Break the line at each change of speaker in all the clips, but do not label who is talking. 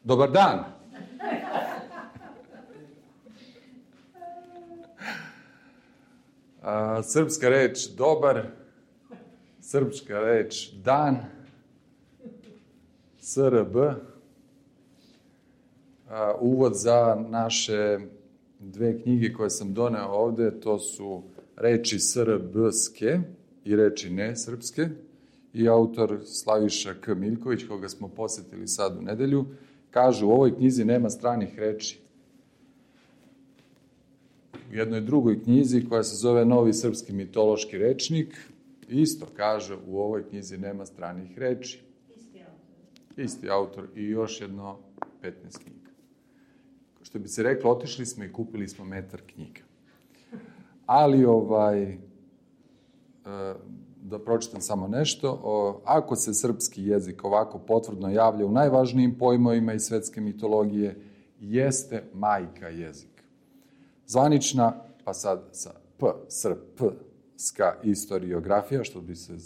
Dobar dan! Srpska reč dobar, srpska reč dan, SRB, uvod za naše dve knjige koje sam doneo ovde, to su reči srbske i reči nesrpske i autor Slaviša K. Miljković, koga smo posetili sad u nedelju, kaže u ovoj knjizi nema stranih reči. U jednoj drugoj knjizi koja se zove Novi srpski mitološki rečnik, isto kaže u ovoj knjizi nema stranih reči. Isti autor i još jedno 15 knjiga. Što bi se reklo, otišli smo i kupili smo metar knjiga. Ali, da pročitam samo nešto, ako se srpski jezik ovako potvrdno javlja u najvažnijim pojmovima iz svetske mitologije, jeste majka jezika. Zvanična, pa sad sa srpska istoriografija, što bi se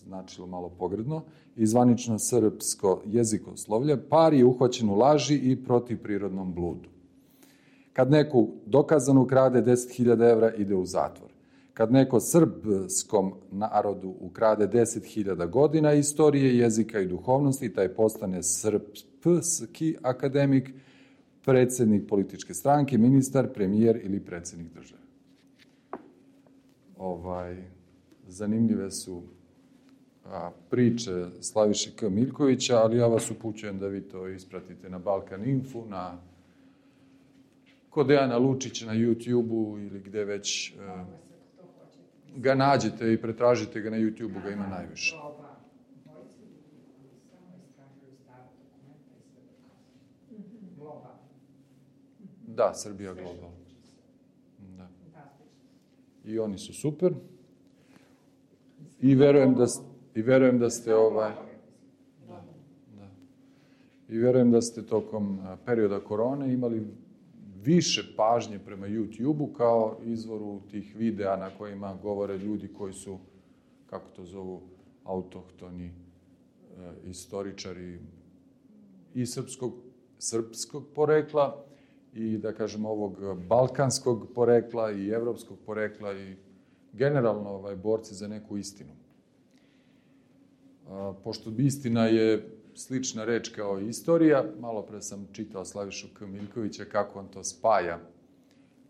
značilo malo pogredno, i zvanično srpsko jezikoslovlje, par je uhvaćen u laži i protivprirodnom bludu. Kad neko dokazano ukrade 10.000 evra, ide u zatvor. Kad neko srpskom narodu ukrade 10.000 godina istorije, jezika i duhovnosti, taj postane srpski akademik, predsjednik političke stranke, ministar, premijer ili predsjednik države. Zanimljive su priče Slaviše K. Miljkovića, ali ja vas upućujem da vi to ispratite na Balkan Info, kod Dejana Lučića na YouTube-u ili gde već ga nađete i pretražite ga na YouTube-u, ga ima najviše. Da, Srbija Global. Da. I oni su super. I verujem da ste I verujem da ste tokom perioda korone imali više pažnje prema YouTube-u kao izvoru tih videa na kojima govore ljudi koji su, kako to zovu, autohtoni istoričari i srpskog porekla i, da kažem, ovog balkanskog porekla i evropskog porekla i generalno borci za neku istinu. Pošto istina je slična reč kao i istorija, malo pre sam čitao Slavišu K. Miljkovića kako on to spaja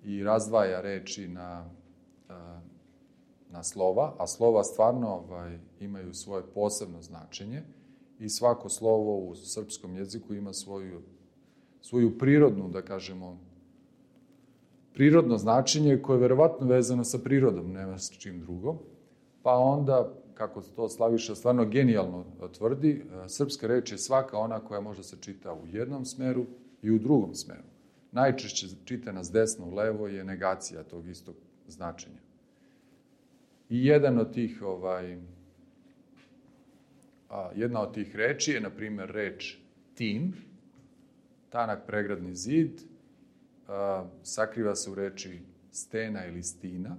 i razdvaja reči na slova, a slova stvarno imaju svoje posebno značenje i svako slovo u srpskom jeziku ima svoju prirodnu, da kažemo, prirodno značenje koje je verovatno vezano sa prirodom, nema s čim drugom. Pa onda, kako to Slaviša stvarno genijalno tvrdi, srpska reč je svaka ona koja može se čita u jednom smeru i u drugom smeru. Najčešće čitana s desno u levo je negacija tog istog značenja. I jedna od tih reči je, na primjer, reč tin, tanak pregradni zid, sakriva se u reči stena ili stina,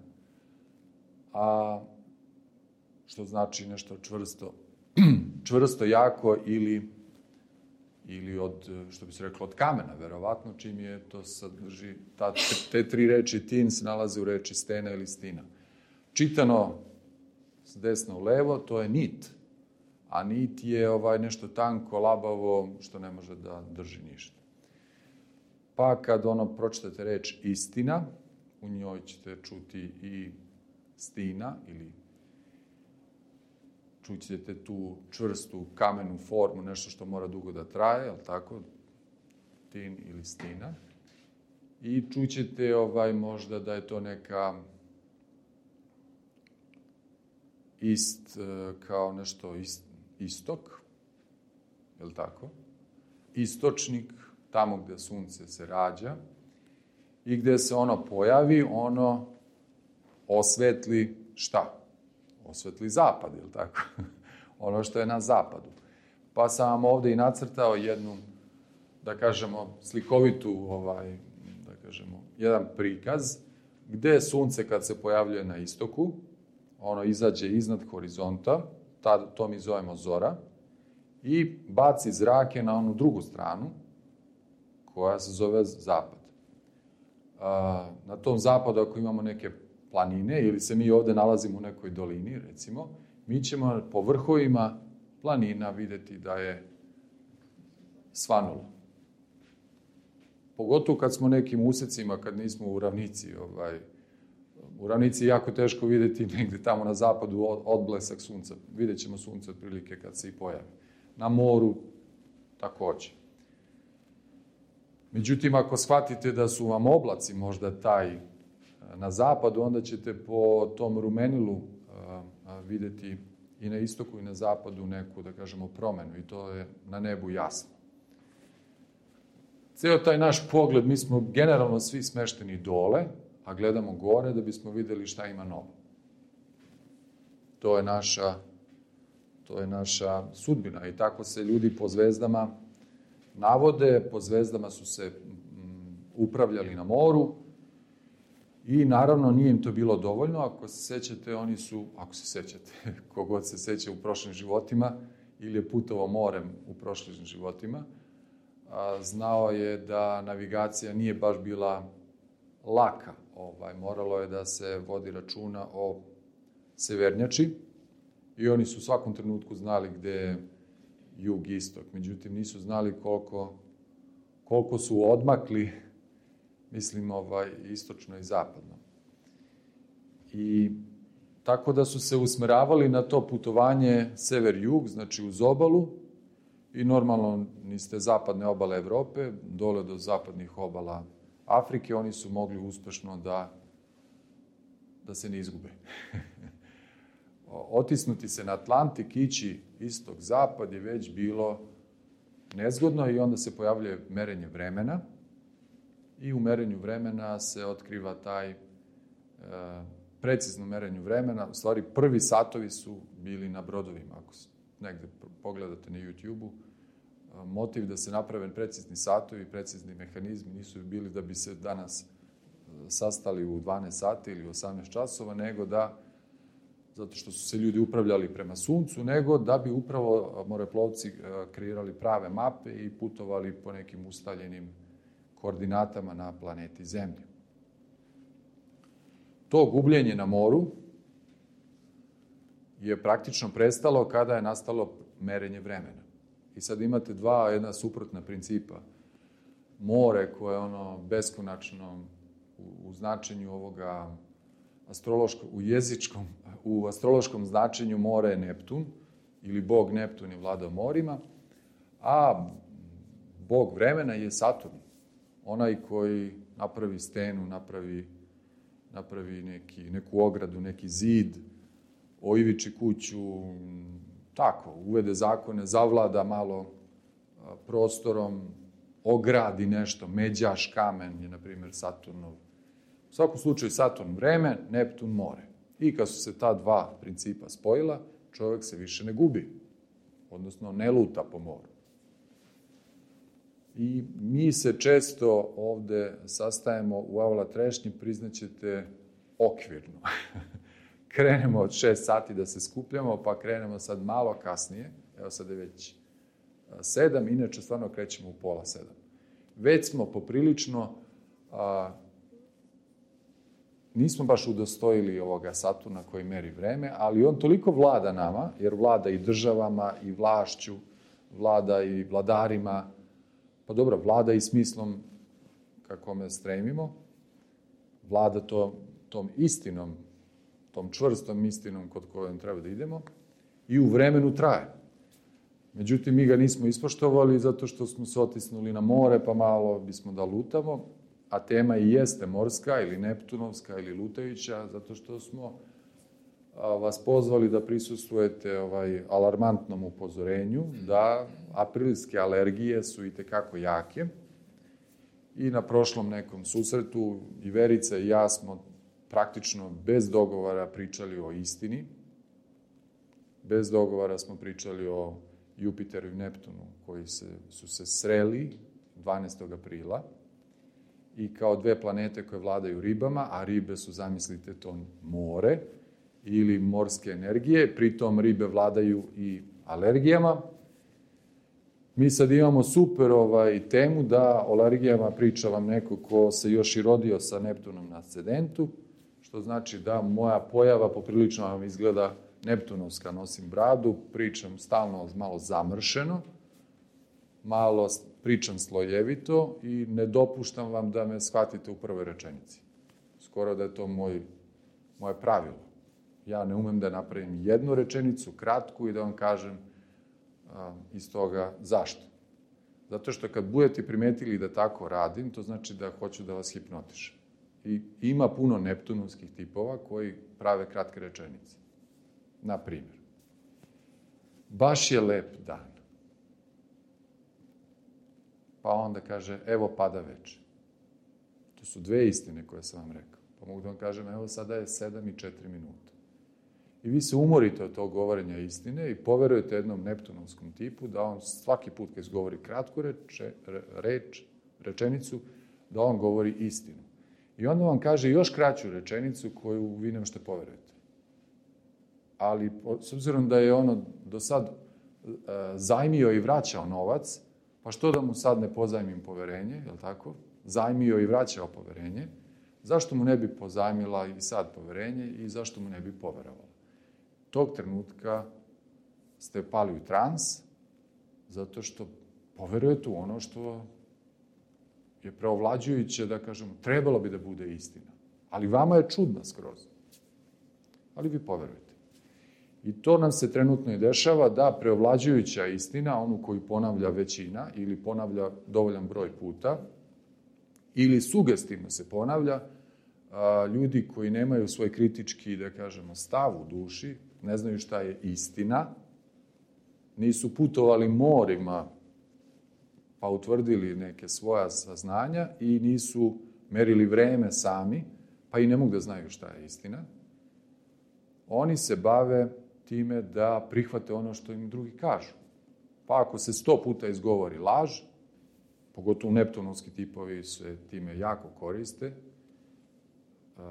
a što znači nešto čvrsto, jako ili od, što bi se reklo, od kamena, verovatno, čim je to sadrži, te tri reči tin se nalaze u reči stena ili stina. Čitano s desno u levo, to je nit, a nit je nešto tanko, labavo, što ne može da drži ništa. Pa kad pročitate reč istina, u njoj ćete čuti i stina ili čućete tu čvrstu kamenu formu, nešto što mora dugo da traje, je li tako? Tin ili stina. I čućete možda da je to neka kao nešto istok, je li tako? Istočnik, tamo gde sunce se rađa i gde se ono pojavi, ono osvetli šta? Osvetli zapad, je li tako? Ono što je na zapadu. Pa sam vam ovde i nacrtao jednu, da kažemo, slikovitu, da kažemo, jedan prikaz, gde sunce kad se pojavljuje na istoku, ono izađe iznad horizonta, to mi zovemo zora, i baci zrake na onu drugu stranu, koja se zove zapad. Na tom zapadu, ako imamo neke planine, ili se mi ovde nalazimo u nekoj dolini, recimo, mi ćemo po vrhovima planina videti da je svanulo. Pogotovo kad smo nekim usecima, kad nismo u ravnici. U ravnici je jako teško videti negde tamo na zapadu odblesak sunca. Vidjet ćemo sunce otprilike kad se i pojavi. Na moru takođe. Međutim, ako shvatite da su vam oblaci možda taj na zapadu, onda ćete po tom rumenilu videti i na istoku i na zapadu neku, da kažemo, promenu. I to je na nebu jasno. Ceo taj naš pogled, mi smo generalno svi smešteni dole, a gledamo gore da bismo videli šta ima novo. To je naša sudbina i tako se ljudi po zvezdama navode, po zvezdama su se upravljali na moru i naravno nije im to bilo dovoljno. Ako se sećate, kogod se seća u prošlim životima ili je putovao morem u prošlim životima, znao je da navigacija nije baš bila laka. Moralo je da se vodi računa o severnjači i oni su u svakom trenutku znali gde je jug, istok. Međutim, nisu znali koliko su odmakli, mislim, istočno i zapadno. I tako da su se usmeravali na to putovanje sever-jug, znači uz obalu, i normalno niste zapadne obale Evrope, dole do zapadnih obala Afrike, oni su mogli uspešno da se ne izgube. Otisnuti se na Atlantik, ići istok-zapad je već bilo nezgodno i onda se pojavljuje merenje vremena i u merenju vremena se otkriva taj precizno merenju vremena. U stvari, prvi satovi su bili na brodovima. Ako negde pogledate na YouTube-u, motiv da se naprave precizni satovi, precizni mehanizmi nisu bili da bi se danas sastali u 12 sati ili 18 časova, nego zato što su se ljudi upravljali prema suncu, nego da bi upravo moreplovci kreirali prave mape i putovali po nekim ustaljenim koordinatama na planeti Zemlji. To gubljenje na moru je praktično prestalo kada je nastalo merenje vremena. I sad imate jedna suprotna principa. More koje je beskonačno u značenju ovoga u astrološkom značenju more je Neptun, ili bog Neptun je vladao morima, a bog vremena je Saturn. Onaj koji napravi stenu, napravi neku ogradu, neki zid, oiviči kuću, tako, uvede zakone, zavlada malo prostorom, ogradi nešto, međaš kamen je, na primjer, Saturnov. U svakom slučaju, Saturn vreme, Neptun more. I kad su se ta dva principa spojila, čovjek se više ne gubi, odnosno ne luta po moru. I mi se često ovde sastajemo u Avala Trešnji, priznaćete, okvirno. Krenemo od 6 sati da se skupljamo, pa krenemo sad malo kasnije, evo sad je već 7, inače stvarno krećemo u pola 7. Već smo poprilično, nismo baš udostojili ovoga Saturna koji meri vreme, ali on toliko vlada nama, jer vlada i državama, i vlašću, vlada i vladarima, pa dobro, vlada i smislom kako me stremimo, vlada tom istinom, tom čvrstom istinom kod kojom treba da idemo, i u vremenu traje. Međutim, mi ga nismo ispoštovali zato što smo se otisnuli na more, pa malo bismo da lutamo, a tema i jeste morska ili neptunovska ili lutajuća, zato što smo vas pozvali da prisustvujete alarmantnom upozorenju da aprilske alergije su i tekako jake. I na prošlom nekom susretu i Verica i ja smo praktično bez dogovora pričali o istini. Bez dogovora smo pričali o Jupiteru i Neptunu koji su se sreli 12. aprila i kao dve planete koje vladaju ribama, a ribe su, zamislite, to more ili morske energije, pritom ribe vladaju i alergijama. Mi sad imamo super temu da o alergijama priča vam neko ko se još i rodio sa Neptunom na ascendentu, što znači da moja pojava poprilično vam izgleda neptunovska, nosim bradu, pričam stalno malo zamršeno, malo pričam slojevito i ne dopuštam vam da me shvatite u prvoj rečenici. Skoro da je to moje pravilo. Ja ne umem da napravim jednu rečenicu, kratku, i da vam kažem iz toga zašto. Zato što kad budete primetili da tako radim, to znači da hoću da vas hipnotišem. I ima puno neptunovskih tipova koji prave kratke rečenice. Na primjer, baš je lep dan. Pa onda kaže, evo pada veče. To su dve istine koje sam vam rekao. Pa mogu da vam kažem, evo sada je 7:04. I vi se umorite od tog govorenja istine i poverujete jednom neptunovskom tipu da on svaki put kad izgovori kratku rečenicu, da on govori istinu. I onda vam kaže još kraću rečenicu koju vi ne možete poverujete. Ali s obzirom da je ono do sad zajmio i vraćao novac, pa što da mu sad ne pozajmim poverenje, je li tako? Zajmio i vraćao poverenje. Zašto mu ne bi pozajmila i sad poverenje i zašto mu ne bi poverovala? Tog trenutka ste pali u trans, zato što poverujete u ono što je preovlađujuće, da kažemo, trebalo bi da bude istina. Ali vama je čudna skroz. Ali vi poverujete. I to nam se trenutno i dešava, da preovlađujuća istina, onu koju ponavlja većina ili ponavlja dovoljan broj puta, ili sugestivno se ponavlja, ljudi koji nemaju svoj kritički, da kažemo, stav u duši, ne znaju šta je istina, nisu putovali morima pa utvrdili neke svoja saznanja i nisu merili vreme sami, pa i ne mogu da znaju šta je istina. Oni se bave time da prihvate ono što im drugi kažu. Pa ako se 100 puta izgovori laž, pogotovo neptunovski tipovi se time jako koriste,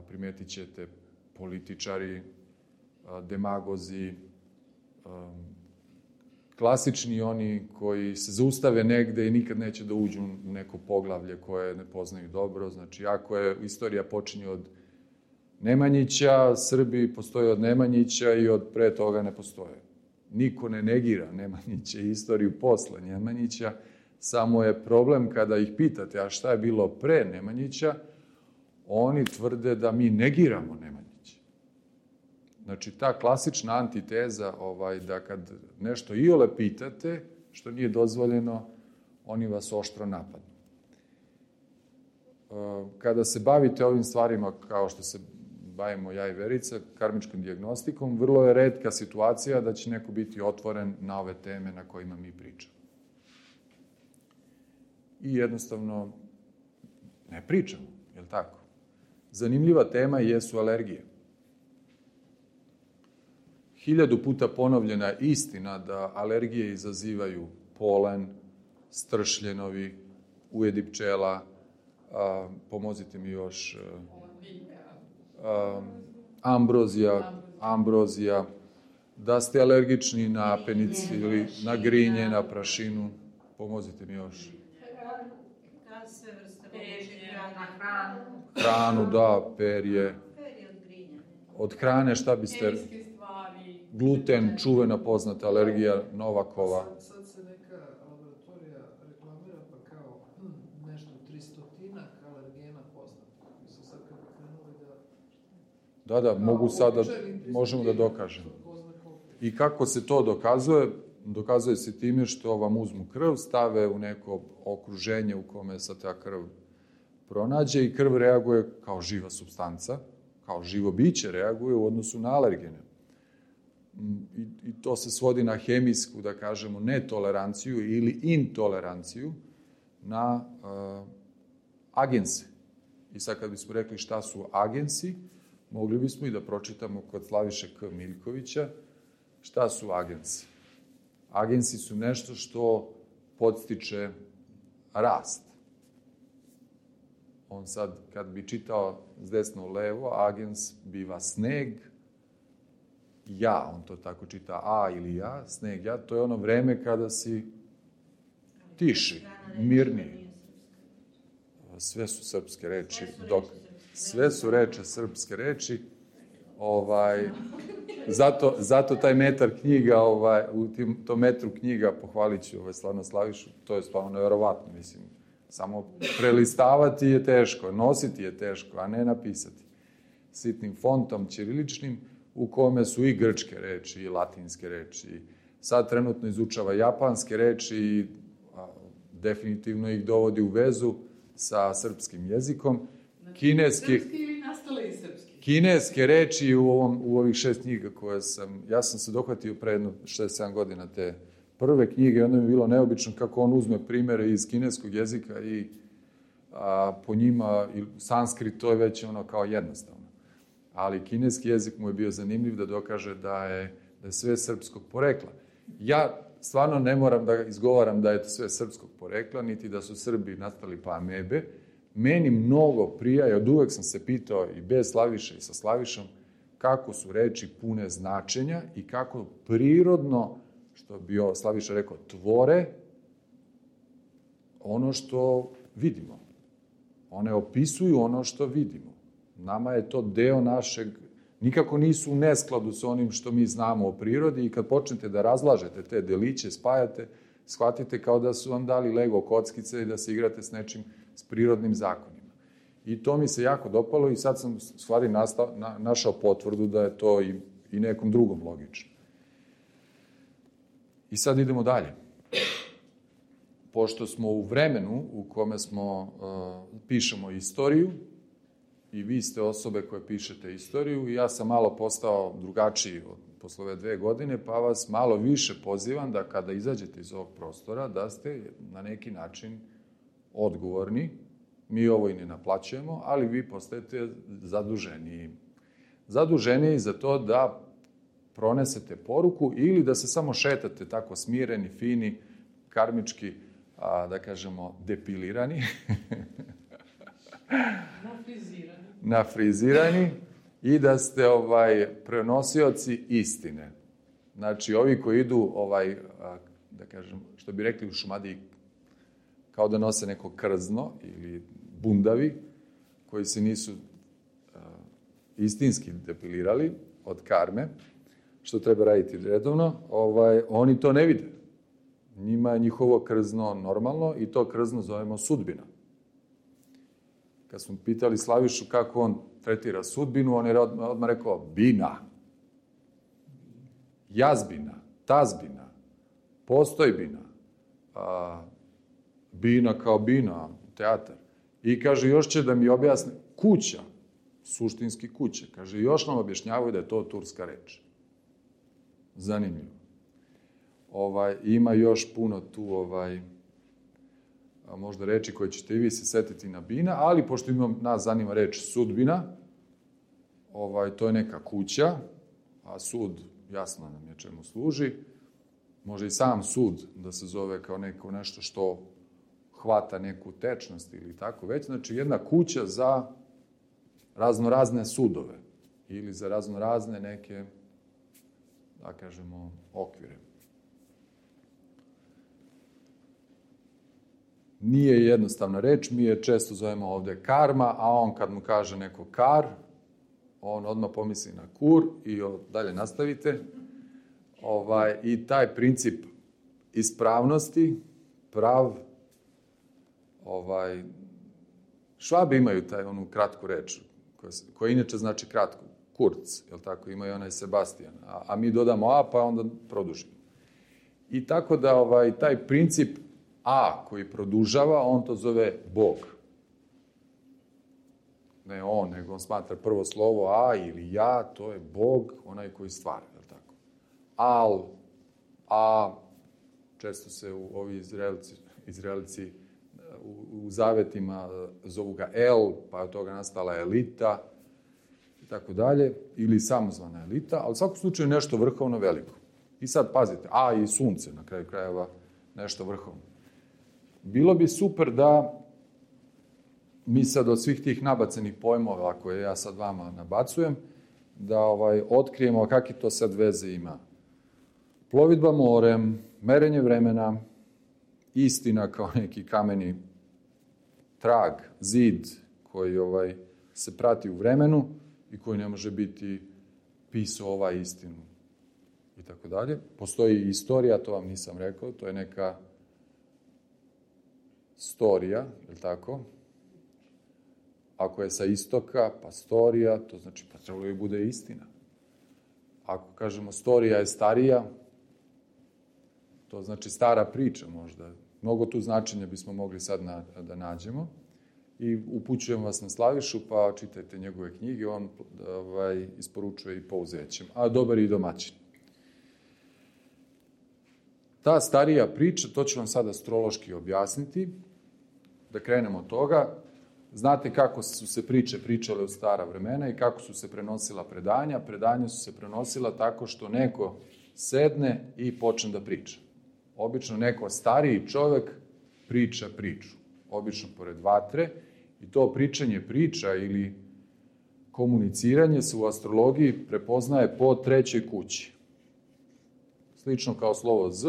primetit ćete političari, demagozi, klasični oni koji se zaustave negde i nikad neće da uđu u neko poglavlje koje ne poznaju dobro. Znači, ako je istorija počinje od Nemanjića, Srbi postoje od Nemanjića i od pre toga ne postoje. Niko ne negira Nemanjića i istoriju posle Nemanjića, samo je problem kada ih pitate, a šta je bilo pre Nemanjića, oni tvrde da mi negiramo Nemanjića. Znači, ta klasična antiteza, da kad nešto iole pitate, što nije dozvoljeno, oni vas oštro napadnu. Kada se bavite ovim stvarima, kao što se bavimo ja i Verica, karmičkom dijagnostikom, vrlo je retka situacija da će neko biti otvoren na ove teme na kojima mi pričamo. I jednostavno ne pričamo, je li tako? Zanimljiva tema jesu alergije. 1000 puta ponovljena istina da alergije izazivaju polen, stršljenovi, ujedi pčela, pomozite mi još, ambrozija, da ste alergični na penicilin, na grinje, na prašinu, pomozite mi još. Hranu, da, perje. Od hrane šta biste... Gluten, čuvena poznata alergija Novakova.
Sad se neka laboratorija reklamira pa kao nešto 300-tinak alergena poznata. Mislim sad kad krenuli da...
Da, mogu sada, možemo da dokažemo. I kako se to dokazuje? Dokazuje se time što vam uzmu krv, stave u neko okruženje u kome se ta krv pronađe i krv reaguje kao živa supstanca, kao živo biće reaguje u odnosu na alergene. I to se svodi na hemijsku, da kažemo, netoleranciju ili intoleranciju na agense. I sad kad bismo rekli šta su agensi, mogli bismo i da pročitamo kod Slaviše K. Miljkovića šta su agensi. Agensi su nešto što podstiče rast. On sad, kad bi čitao s desno u levo, agens biva sneg, ja, on to tako čita, a ili ja, sneg ja, to je ono vreme kada si tiši, mirniji. Sve su srpske reči. Sve su reči srpske reči. Zato taj metar knjiga, u tom metru knjiga, pohvalit ću stvarno Slavišu, to je stvarno nevjerovatno, mislim. Samo prelistavati je teško, nositi je teško, a ne napisati. Sitnim fontom ćiriličnim, u kome su i grčke reči, i latinske reči. Sad trenutno izučava japanske reči i definitivno ih dovodi u vezu sa srpskim jezikom.
Srpski ili nastale i srpski?
Kineske reči u ovih 6 knjiga koje ja sam se dohvatio pre jedno 6-7 godina te prve knjige, onda mi je bilo neobično kako on uzme primere iz kineskog jezika i po njima sanskrit, to je već kao jednostavno. Ali kineski jezik mu je bio zanimljiv da dokaže da je sve srpskog porekla. Ja stvarno ne moram da izgovaram da je to sve srpskog porekla, niti da su Srbi nastali pa amebe. Meni mnogo prija, i od uvek sam se pitao i bez Slaviše i sa Slavišom, kako su reči pune značenja i kako prirodno, što bi Slaviša rekao, tvore ono što vidimo. One opisuju ono što vidimo. Nama je to deo našeg, nikako nisu u neskladu sa onim što mi znamo o prirodi i kad počnete da razlažete te deliće, spajate, shvatite kao da su vam dali Lego kockice i da se igrate s nečim, s prirodnim zakonima. I to mi se jako dopalo i sad sam stvari našao potvrdu da je to i nekom drugom logično. I sad idemo dalje. Pošto smo u vremenu u kome pišemo istoriju, i vi ste osobe koje pišete istoriju, i ja sam malo postao drugačiji posle ove 2 godine, pa vas malo više pozivam da kada izađete iz ovog prostora, da ste na neki način odgovorni. Mi ovo i ne naplaćujemo, ali vi postajete zaduženi. Zaduženi za to da pronesete poruku ili da se samo šetate tako smireni, fini, karmički, da kažemo, depilirani. Nafrizirani i da ste prenosioci istine. Znači, ovi koji idu, da kažem, što bi rekli u Šumadiji, kao da nose neko krzno ili bundavi, koji se nisu istinski depilirali od karme, što treba raditi redovno, oni to ne vide. Njima je njihovo krzno normalno i to krzno zovemo sudbina. Kad smo pitali Slavišu kako on tretira sudbinu, on je odmah rekao bina, jazbina, tazbina, postojbina, bina kao bina, teatar. I kaže, još će da mi objasne, kuća, suštinski kuće. Kaže, još nam objašnjavaju da je to turska reč. Zanimljivo. Ima još puno tu, možda reči koje ćete i vi se setiti na bina, ali pošto nas zanima reč sudbina, to je neka kuća, a sud, jasno nam je čemu služi. Može i sam sud da se zove kao nešto što hvata neku tečnost ili tako već. Znači, jedna kuća za raznorazne sudove ili za raznorazne neke, da kažemo, okvire. Nije jednostavna reč, mi je često zovemo ovde karma, a on kad mu kaže neko kar, on odmah pomisli na kur i dalje nastavite. I taj princip ispravnosti, Švabi imaju onu kratku reč, koja inače znači kratko, kurc, jel tako, imaju onaj Sebastian, a mi dodamo a, pa onda produžimo. I tako da taj princip a koji produžava, on to zove Bog. Ne on, nego on smatra prvo slovo a ili ja, to je Bog, onaj koji stvara, jel tako? Al, a, često se ovi Izraelci u zavetima zovu ga El, pa od toga nastala elita, i tako dalje, ili samozvana elita, ali u svakom slučaju nešto vrhovno veliko. I sad pazite, a i sunce, na kraju krajeva, nešto vrhovno. Bilo bi super da mi sad od svih tih nabacenih pojmova koje ja sad vama nabacujem, da otkrijemo kakve to sad veze ima. Plovidba morem, merenje vremena, istina kao neki kameni trag, zid koji se prati u vremenu i koji ne može biti pisao istinu i tako dalje. Postoji istorija, to vam nisam rekao, to je neka storija, je li tako? Ako je sa istoka, pa storija, to znači pa trebalo bi bude istina. Ako kažemo storija je starija, to znači stara priča možda. Mnogo tu značenja bismo mogli sad da nađemo. I upućujem vas na Slavišu, pa čitajte njegove knjige, on isporučuje i pouzećem, a dobar i domaćin. Ta starija priča, to ću vam sad astrološki objasniti, da krenemo od toga. Znate kako su se priče pričale u stara vremena i kako su se prenosila predanja. Predanja su se prenosila tako što neko sedne i počne da priča. Obično neko stariji čovek priča priču. Obično pored vatre. I to pričanje priča ili komuniciranje se u astrologiji prepoznaje po trećoj kući. Slično kao slovo Z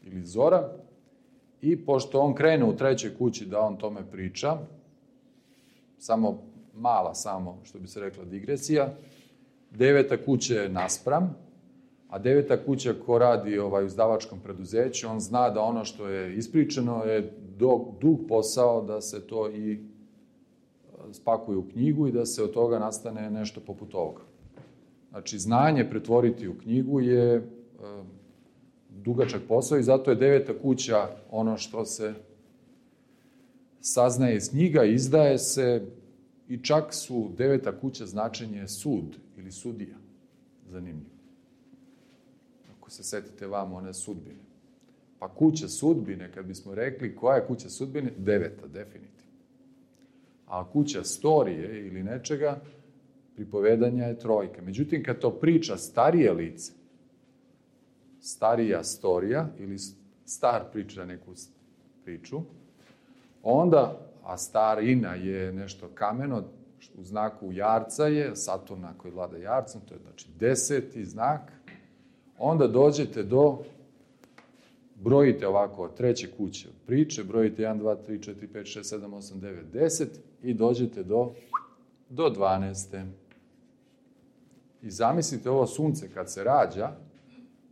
ili zora. I pošto on krene u trećoj kući da on tome priča, samo što bi se rekla digresija, 9. kuća je naspram, a 9. kuća ko radi u izdavačkom preduzeću, on zna da ono što je ispričano je dug posao da se to i spakuje u knjigu i da se od toga nastane nešto poput ovoga. Znači, znanje pretvoriti u knjigu je dugačak posao i zato je 9. kuća ono što se saznaje iz knjiga, izdaje se i čak su 9. kuća značenje sud ili sudija. Zanimljivo. Ako se setite vam one sudbine. Pa kuća sudbine, kad bismo rekli koja je kuća sudbine, 9. definitivno. A kuća storije ili nečega, pripovedanja je 3. Međutim, kad to priča starije lice, starija storija ili star priča neku priču, onda, a starina je nešto kameno, u znaku jarca je, Saturna koji vlada jarcem, to je znači 10. znak, onda dođete do, brojite ovako, treće kuće priče, brojite 1, 2, 3, 4, 5, 6, 7, 8, 9, 10 i dođete do 12. I zamislite ovo sunce kad se rađa,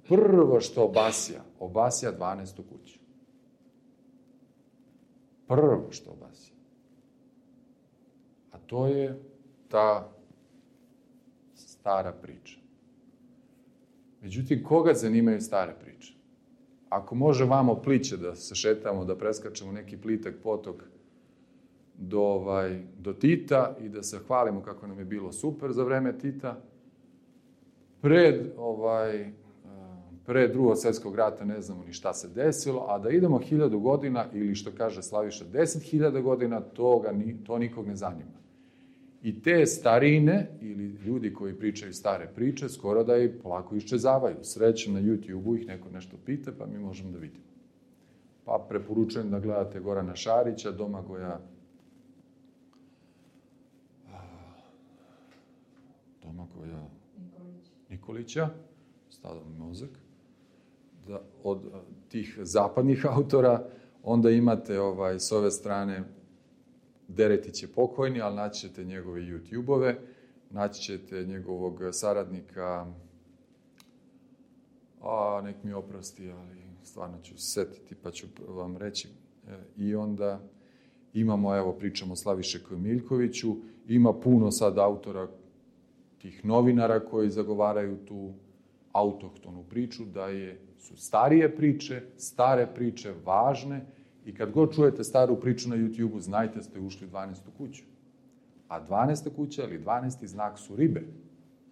prvo što obasja 12. kuću. Prvo što obasja. A to je ta stara priča. Međutim, koga zanimaju stare priče? Ako vamo pliće da se šetamo, da preskačemo neki plitak potok do Tita i da se hvalimo kako nam je bilo super za vreme Tita, pre Drugog svjetskog rata ne znamo ni šta se desilo, a da idemo 1000 godina ili što kaže Slaviša 10.000 godina, to nikog ne zanima. I te starine ili ljudi koji pričaju stare priče skoro da i polako iščezavaju. Srećem na YouTube-u ih neko nešto pita pa mi možemo da vidimo. Pa preporučujem da gledate Gorana Šarića, Domagoja Nikolića, stavljam mozak, od tih zapadnih autora, onda imate s ove strane Deretić je pokojni, ali naći ćete njegove YouTube-ove, naći ćete njegovog saradnika, nek mi oprosti, ali stvarno ću se setiti pa ću vam reći. I onda imamo, pričamo o Slavišeku Miljkoviću, ima puno sad autora, tih novinara koji zagovaraju tu autohtonu priču, da su starije priče, stare priče, važne, i kad god čujete staru priču na YouTube-u, znajte ste ušli u 12. kuću. A 12. kuća ili 12. znak su ribe.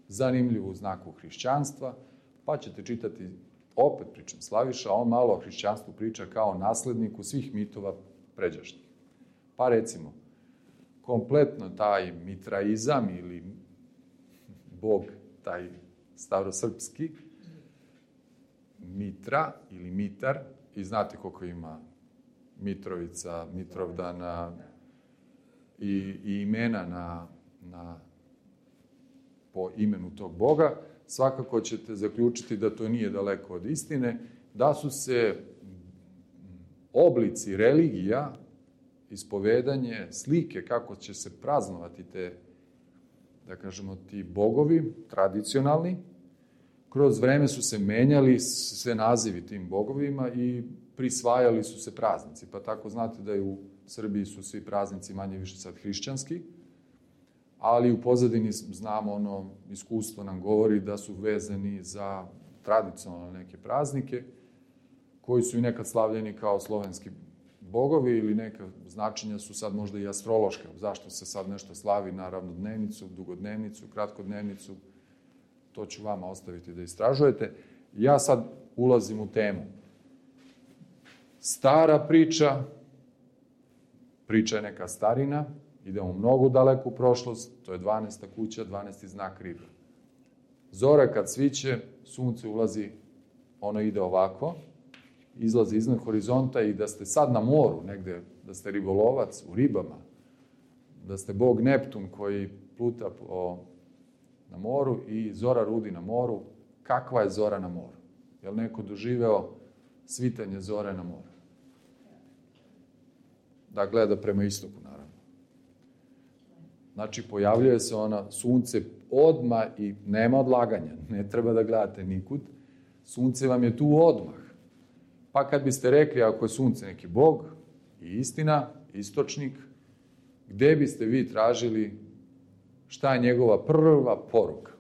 Zanimljivo u znaku hrišćanstva, pa ćete čitati, opet pričam Slaviša, on malo o hrišćanstvu priča kao nasledniku svih mitova pređašnjih. Pa recimo, kompletno taj mitraizam ili bog, taj starosrpski, Mitra ili Mitar, i znate koliko ima Mitrovica, Mitrovdana i imena po imenu tog boga, svakako ćete zaključiti da to nije daleko od istine, da su se oblici religija, ispovedanje, slike kako će se praznovati te, da kažemo, ti bogovi tradicionalni, kroz vreme su se menjali sve nazivi tim bogovima i prisvajali su se praznici. Pa tako znate da i u Srbiji su svi praznici manje više sad hrišćanski, ali u pozadini znamo ono, iskustvo nam govori da su vezani za tradicionalne neke praznike, koji su i nekad slavljeni kao slovenski bogovi ili neka značenja su sad možda i astrološka. Zašto se sad nešto slavi na ravnodnevnicu, dugodnevnicu, kratkodnevnicu, to ću vama ostaviti da istražujete. Ja sad ulazim u temu. Stara priča je neka starina, idemo mnogo daleku u prošlost, to je 12. kuća, 12. znak riba. Zora kad sviće, sunce ulazi, ono ide ovako, izlazi iznad horizonta i da ste sad na moru, negde, da ste ribolovac u ribama, da ste bog Neptun koji pluta na moru i zora rudi na moru, kakva je zora na moru? Je li neko doživeo svitanje zore na moru? Da gleda prema istoku, naravno. Znači, pojavljuje se ona, sunce odmah i nema odlaganja, ne treba da gledate nikud, sunce vam je tu odmah. Pa kad biste rekli, ako je sunce neki bog i istina, istočnik, gde biste vi tražili šta je njegova prva poruka?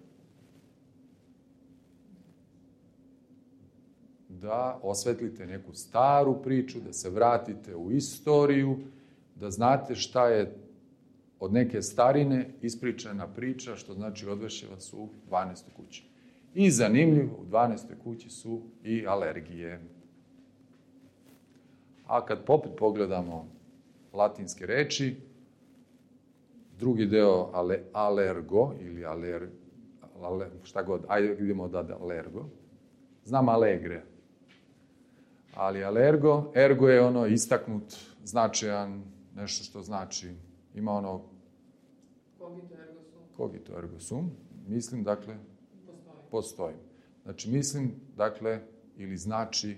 Da osvetlite neku staru priču, da se vratite u istoriju, da znate šta je od neke starine ispričana priča, što znači odvešće vas u 12. kući. I zanimljivo, u 12. kući su i alergije. A kad popet pogledamo latinske reči, drugi deo alergo ili šta god, ajde idemo da alergo. Znam alegre, ali ergo je ono istaknut, značajan, nešto što znači, ima ono cogito ergo sum, mislim, dakle, postoji. Znači, mislim, dakle, ili znači,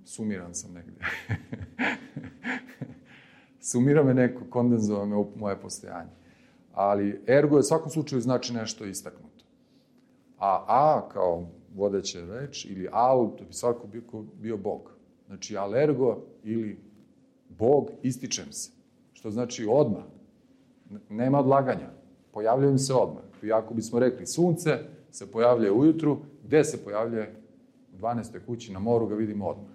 sumiran sam negde. Sumira me neko, kondenzova me u moje postojanje. Ali ergo je u svakom slučaju znači nešto istaknuto. A kao vodeća reč ili al, to bi svako bio bog. Znači, alergo ili bog, ističem se. Što znači odmah. Nema odlaganja. Pojavljujem se odmah. I ako bismo rekli sunce se pojavljuje ujutru, gde se pojavljuje? U 12. kući na moru ga vidimo odmah.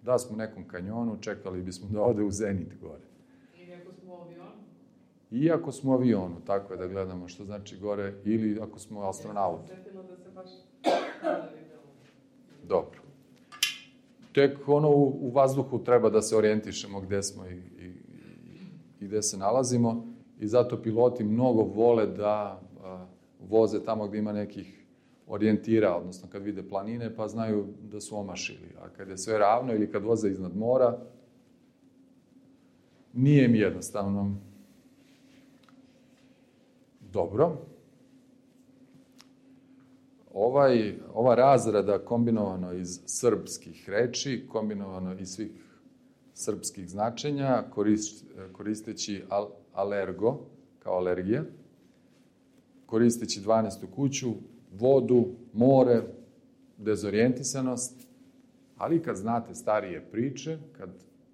Da smo u nekom kanjonu, čekali bismo da ode u zenit gore. I ako smo u avionu, tako je da gledamo što znači gore, ili ako smo astronauti. Dobro. Tek ono u vazduhu treba da se orijentišemo gde smo i gde se nalazimo i zato piloti mnogo vole da voze tamo gde ima nekih orijentira, odnosno kad vide planine pa znaju da su omašili, a kad je sve ravno ili kad voze iznad mora, nije mi jednostavno. Dobro. Ova razrada kombinovano iz srpskih reči, kombinovano iz svih srpskih značenja, koristeći alergo, kao alergija, koristeći 12. kuću, vodu, more, dezorijentisanost, ali kad znate starije priče, kad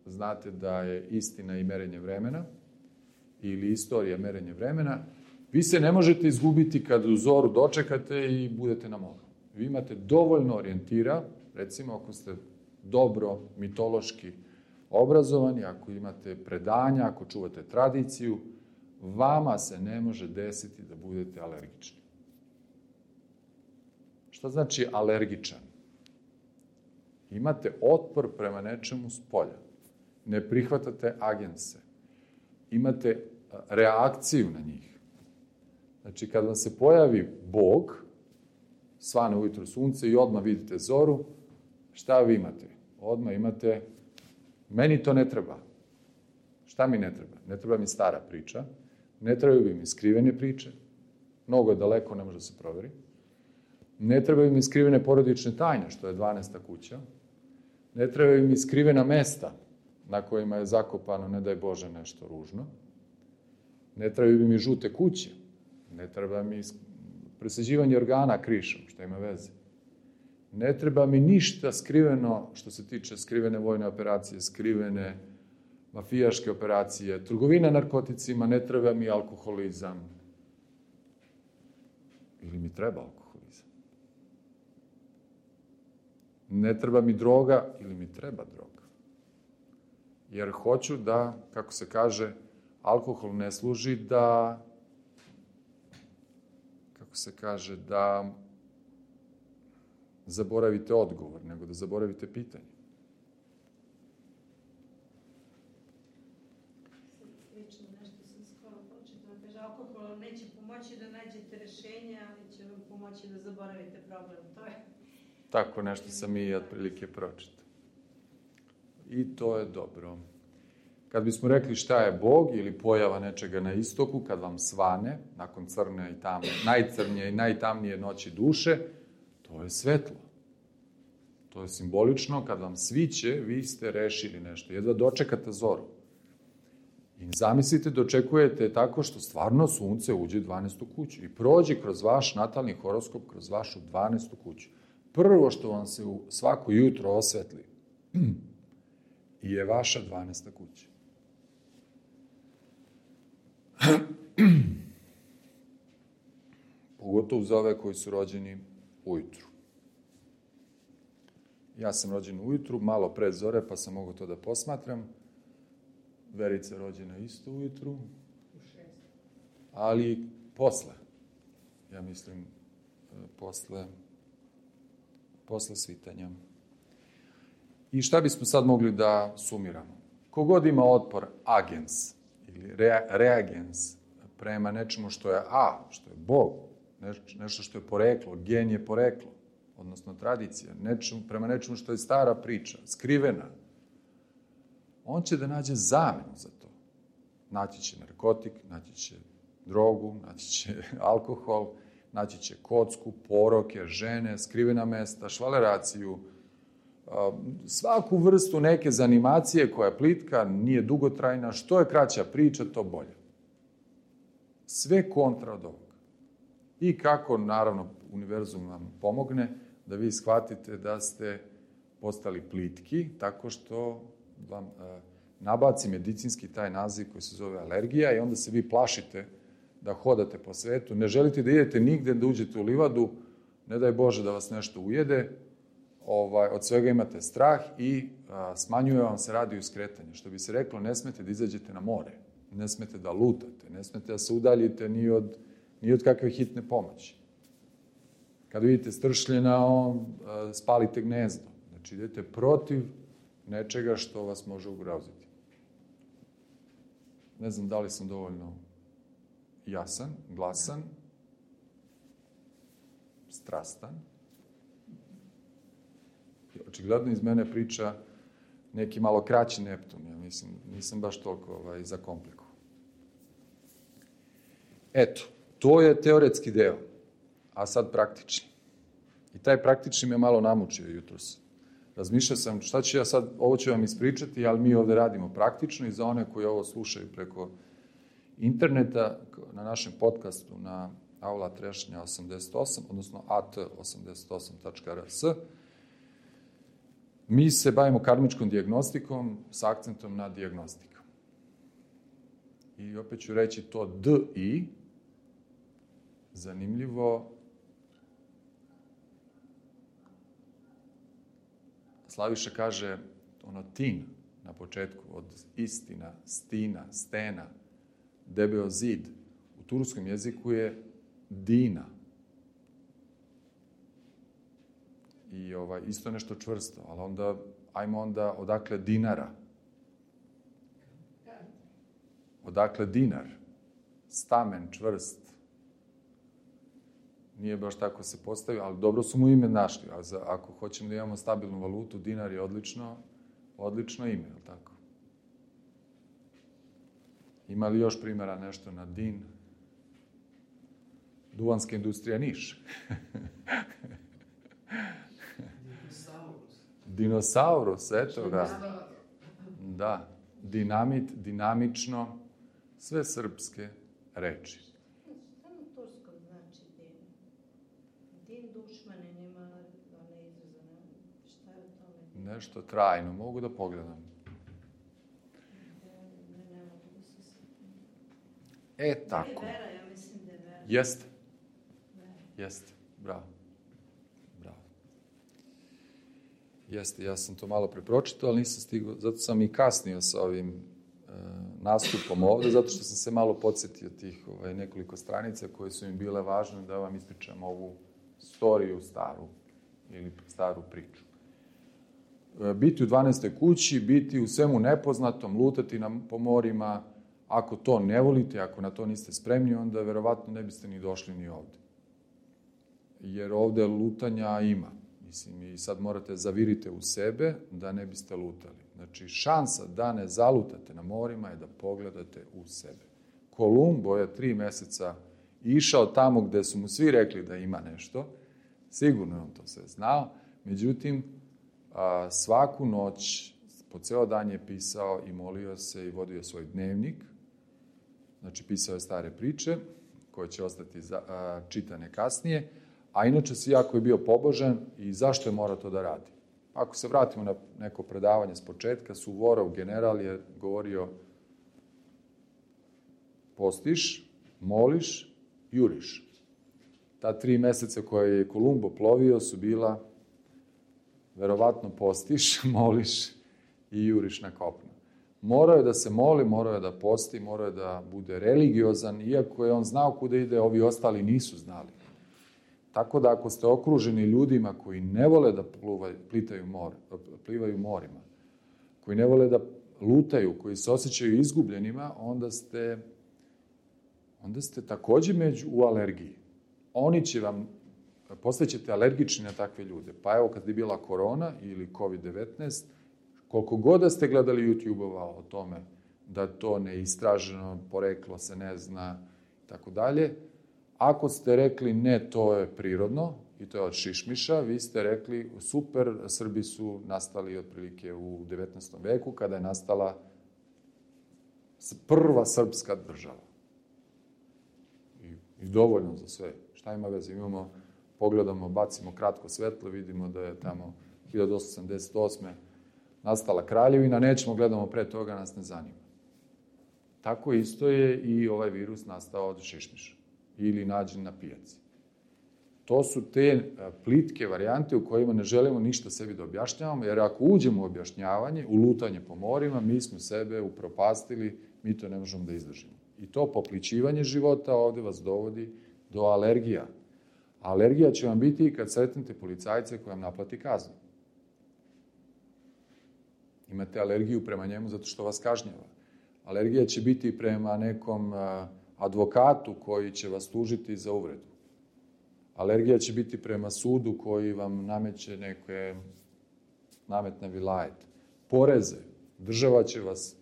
znate da je istina i merenje vremena, ili istorija merenje vremena, vi se ne možete izgubiti kad u zoru dočekate i budete na moru. Vi imate dovoljno orijentira, recimo ako ste dobro mitološki obrazovani, ako imate predanja, ako čuvate tradiciju, vama se ne može desiti da budete alergični. Šta znači alergičan? Imate otpor prema nečemu s polja. Ne prihvatate agense. Imate reakciju na njih. Znači, kad vam se pojavi Bog, svane ujutro sunce i odmah vidite zoru, šta vi imate? Odmah imate, meni to ne treba. Šta mi ne treba? Ne treba mi stara priča, ne trebaju mi skrivene priče, mnogo je daleko, ne može da se proveri. Ne trebaju mi skrivene porodične tajne, što je 12. kuća. Ne trebaju mi skrivena mesta na kojima je zakopano, ne daj Bože, nešto ružno. Ne trebaju mi žute kuće. Ne treba mi presađivanje organa krišom, što ima veze. Ne treba mi ništa skriveno što se tiče skrivene vojne operacije, skrivene mafijaške operacije, trgovina narkoticima, ne treba mi alkoholizam. Ili mi treba alkoholizam. Ne treba mi droga ili mi treba droga. Jer hoću da, kako se kaže, alkohol ne služi da, kako se kaže, da zaboravite odgovor, nego da zaboravite pitanje.
Slično nešto sam skoro pročitala. Kaže, alkohol neće pomoći da nađete rešenje, ali će vam pomoći da zaboravite problem. To je...
Tako nešto sam i otprilike pročitao. I to je dobro. Kad bismo rekli šta je Bog ili pojava nečega na istoku, kad vam svane, nakon crne i tamne, najcrnije i najtamnije noći duše, to je svetlo. To je simbolično, kad vam sviće, vi ste rešili nešto. Jedva dočekate zoru. I zamislite, dočekujete tako što stvarno sunce uđe u 12. kuću i prođe kroz vaš natalni horoskop, kroz vašu 12. kuću. Prvo što vam se svako jutro osvetli je vaša 12. kuća. Pogotovo za ove koji su rođeni ujutru. Ja sam rođen ujutru, malo pre zore, pa sam mogao to da posmatram. Verica je rođena isto ujutru. Ali posle. Ja mislim, posle svitanja. I šta bismo sad mogli da sumiramo? Kogod ima otpor agens ili reagens prema nečemu što je što je Bog, nešto što je poreklo, gen je poreklo, odnosno tradicija, prema nečemu što je stara priča, skrivena, on će da nađe zamenu za to. Naći će narkotik, naći će drogu, naći će alkohol, naći će kocku, poroke, žene, skrivena mesta, švaleraciju, svaku vrstu neke zanimacije koja je plitka, nije dugotrajna, što je kraća priča, to bolje. Sve kontra od ovoga. I kako, naravno, univerzum vam pomogne da vi shvatite da ste postali plitki, tako što vam nabaci medicinski taj naziv koji se zove alergija i onda se vi plašite da hodate po svetu, ne želite da idete nigde, da uđete u livadu, ne daj Bože da vas nešto ujede, od svega imate strah i smanjuje vam se radijus skretanja. Što bi se reklo, ne smete da izađete na more, ne smete da lutate, ne smete da se udaljite ni od kakve hitne pomoći. Kad vidite stršljena, spalite gnezdo. Znači, idete protiv nečega što vas može ugroziti. Ne znam da li sam dovoljno jasan, glasan, strastan. Očigledno iz mene priča neki malo kraći Neptun. Ja mislim, nisam baš toliko zakomplikovao. Eto, to je teoretski deo, a sad praktični. I taj praktični me malo namučio jutros. Razmišljao sam šta ću ja sad, ovo ću vam ispričati, ali mi ovde radimo praktično i za one koji ovo slušaju preko interneta, na našem podcastu na Aula Trešnja 88, odnosno at88.rs. Mi se bavimo karmičkom dijagnostikom sa akcentom na dijagnostiku. I opet ću reći to D-I, zanimljivo. Slaviša kaže tin na početku, od istina, stina, stena, debeo zid. U turskom jeziku je dina. I isto nešto čvrsto, ali onda, ajmo onda, odakle dinara? Odakle dinar? Stamen, čvrst. Nije baš tako se postavio, ali dobro su mu ime našli. Ako hoćemo da imamo stabilnu valutu, dinar je odlično ime, je li tako? Ima li još primjera nešto na din? Duvanska industrija Niš. Dinosaurus, eto ga. Da, dinamit, dinamično, sve srpske reči.
Šta na turskom znači din? Din dušmanin ima one izrazane. Šta je o tome?
Nešto trajno, mogu da pogledam.
Ne mogu da se sjetim.
Tako.
Vera, ja mislim da je vera.
Jeste. Jeste, bravo. Jeste, ja sam to malo prepročitao, ali nisam stigao, zato sam i kasnio sa ovim nastupom ovde, zato što sam se malo podsjetio tih nekoliko stranica koje su mi bile važne da vam ispričam ovu storiju staru ili staru priču. Biti u 12. kući, biti u svemu nepoznatom, lutati po morima, ako to ne volite, ako na to niste spremni, onda verovatno ne biste ni došli ni ovde. Jer ovde lutanja ima. Mislim, i sad morate zavirite u sebe da ne biste lutali. Znači, šansa da ne zalutate na morima je da pogledate u sebe. Kolumbo je 3 meseca išao tamo gde su mu svi rekli da ima nešto. Sigurno je on to sve znao. Međutim, svaku noć, po ceo dan je pisao i molio se i vodio svoj dnevnik. Znači, pisao je stare priče, koje će ostati čitane kasnije. A inače si jako je bio pobožan i zašto je morao to da radi? Ako se vratimo na neko predavanje s početka, Suvorov general je govorio postiš, moliš, juriš. Ta 3 meseca koje je Kolumbo plovio su bila verovatno postiš, moliš i juriš na kopno. Morao je da se moli, morao je da posti, morao je da bude religiozan, iako je on znao kuda ide, ovi ostali nisu znali. Tako da ako ste okruženi ljudima koji ne vole da plivaju morima, koji ne vole da lutaju, koji se osjećaju izgubljenima, onda ste takođe u alergiji. Oni će vam, postaćete alergični na takve ljude. Pa evo kad je bila korona ili COVID-19, koliko god da ste gledali YouTube-ova o tome da to neistraženo, poreklo se ne zna, tako dalje, ako ste rekli ne, to je prirodno i to je od šišmiša, vi ste rekli super, Srbi su nastali otprilike u 19. veku kada je nastala prva srpska država. I dovoljno za sve. Šta ima veze? Pogledamo, bacimo kratko svetlo, vidimo da je tamo 1888. nastala kraljevina, nećemo gledamo pre toga, nas ne zanima. Tako isto je i ovaj virus nastao od šišmiša ili nađen na pijaci. To su te plitke varijante u kojima ne želimo ništa sebi da objašnjavamo, jer ako uđemo u objašnjavanje, u lutanje po morima, mi smo sebe upropastili, mi to ne možemo da izdržimo. I to poplićivanje života ovde vas dovodi do alergija. Alergija će vam biti i kad sretnete policajce koji vam naplati kaznu. Imate alergiju prema njemu zato što vas kažnjava. Alergija će biti prema nekom advokatu koji će vas tužiti za uvredu. Alergija će biti prema sudu koji vam nameće neke nametne vilajet. Poreze. Država će vas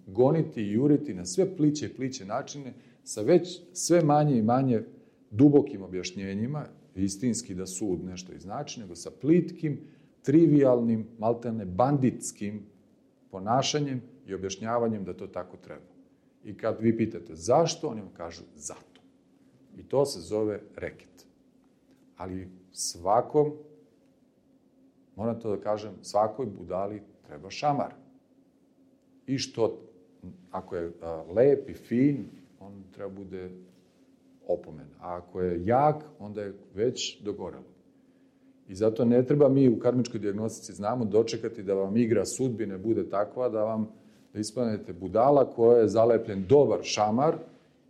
goniti i juriti na sve pliće i pliće načine sa već sve manje i manje dubokim objašnjenjima, istinski da sud nešto znači, nego sa plitkim, trivialnim, maltene banditskim ponašanjem i objašnjavanjem da to tako treba. I kad vi pitate zašto, oni vam kažu zato. I to se zove reket. Ali svakom, moram to da kažem, svakoj budali treba šamar. I što, ako je lep i fin, on treba bude opomen. A ako je jak, onda je već dogorelo. I zato ne treba mi u karmičkoj dijagnostici znamo dočekati da vam igra sudbine bude takva da ispadnete budala koja je zalepljen dobar šamar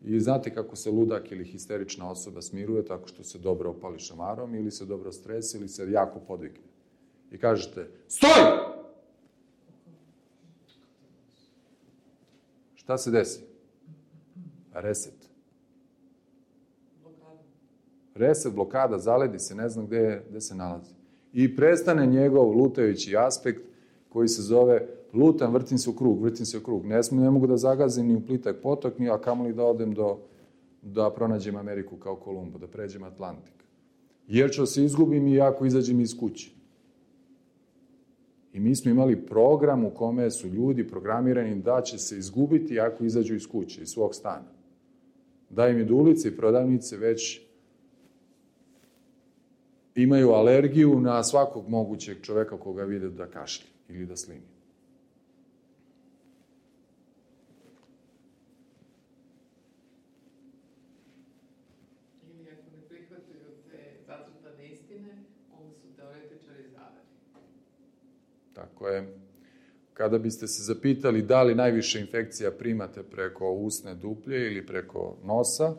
i znate kako se ludak ili histerična osoba smiruje tako što se dobro opali šamarom ili se dobro stresi ili se jako podvikne. I kažete, stoj! Šta se desi? Reset. Reset, blokada, zaledi se, ne znam gde se nalazi. I prestane njegov lutajući aspekt koji se zove lutam, vrtim se u krug. Ne mogu da zagazim ni u plitak potok, ni a kamoli da odem da pronađem Ameriku kao Kolumbo, da pređem Atlantik. Jer ću se izgubim i ako izađem iz kuće. I mi smo imali program u kome su ljudi programirani da će se izgubiti ako izađu iz kuće, iz svog stana. Da im idulice i prodavnice već imaju alergiju na svakog mogućeg čoveka koga vide da kašlje ili da slini.
Ili ako ne prihvataju te zacrtane istine, onda su teoretičari zaveri.
Tako je. Kada biste se zapitali da li najviše infekcija primate preko usne duplje ili preko nosa,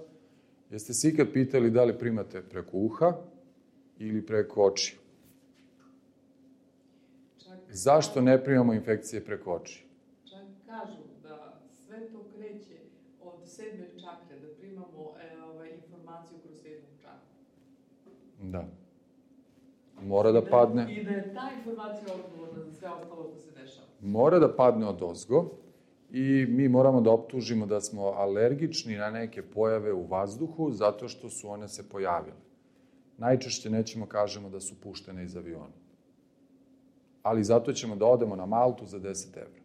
jeste se ikad pitali da li primate preko uha ili preko očiju? Zašto ne primamo infekcije preko očiju?
Čak kažu da sve to kreće od 7. čakre, da primamo informaciju kroz 7. čakru.
Da. Mora da padne.
I da je ta informacija odgovorna za sve ostalo što se dešava.
Mora da padne odozgo i mi moramo da optužimo da smo alergični na neke pojave u vazduhu zato što su one se pojavile. Najčešće nećemo kažemo da su puštene iz aviona. Ali zato ćemo da odemo na Maltu za 10 evra.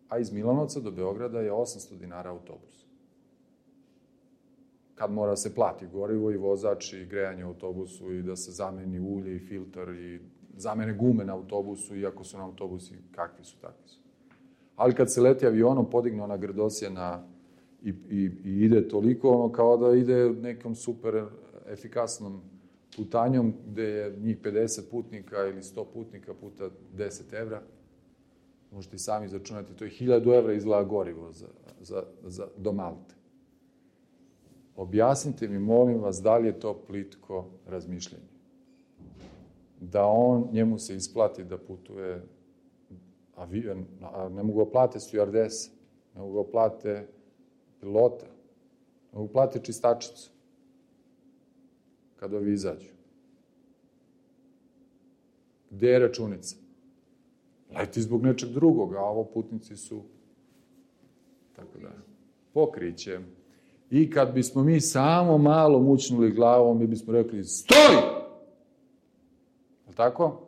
A iz Milanovca do Beograda je 800 dinara autobus. Kad mora se plati gorivo i vozač i grejanje u autobusu i da se zameni ulje i filter i zamene gume na autobusu, iako su na autobusi kakvi su, takvi su. Ali kad se leti avionom, podigne ona grdosjena i ide toliko kao da ide nekom super efikasnom putanjom gde je njih 50 putnika ili 100 putnika puta 10 evra. Možete i sami izračunati, to je 1000 evra izgleda gorivo do Malte. Objasnite mi, molim vas, da li je to plitko razmišljanje. Da njemu se isplati da putuje avion, ne mogu ga plate stjuardese, ne mogu ga plate pilota, ne mogu plate čistačicu kada ovi izađu. Gde je računica? Leti zbog nečeg drugog, a ovo putnici su tako da. Pokriće. I kad bismo mi samo malo mućnuli glavom, mi bismo rekli, stoj! Je tako?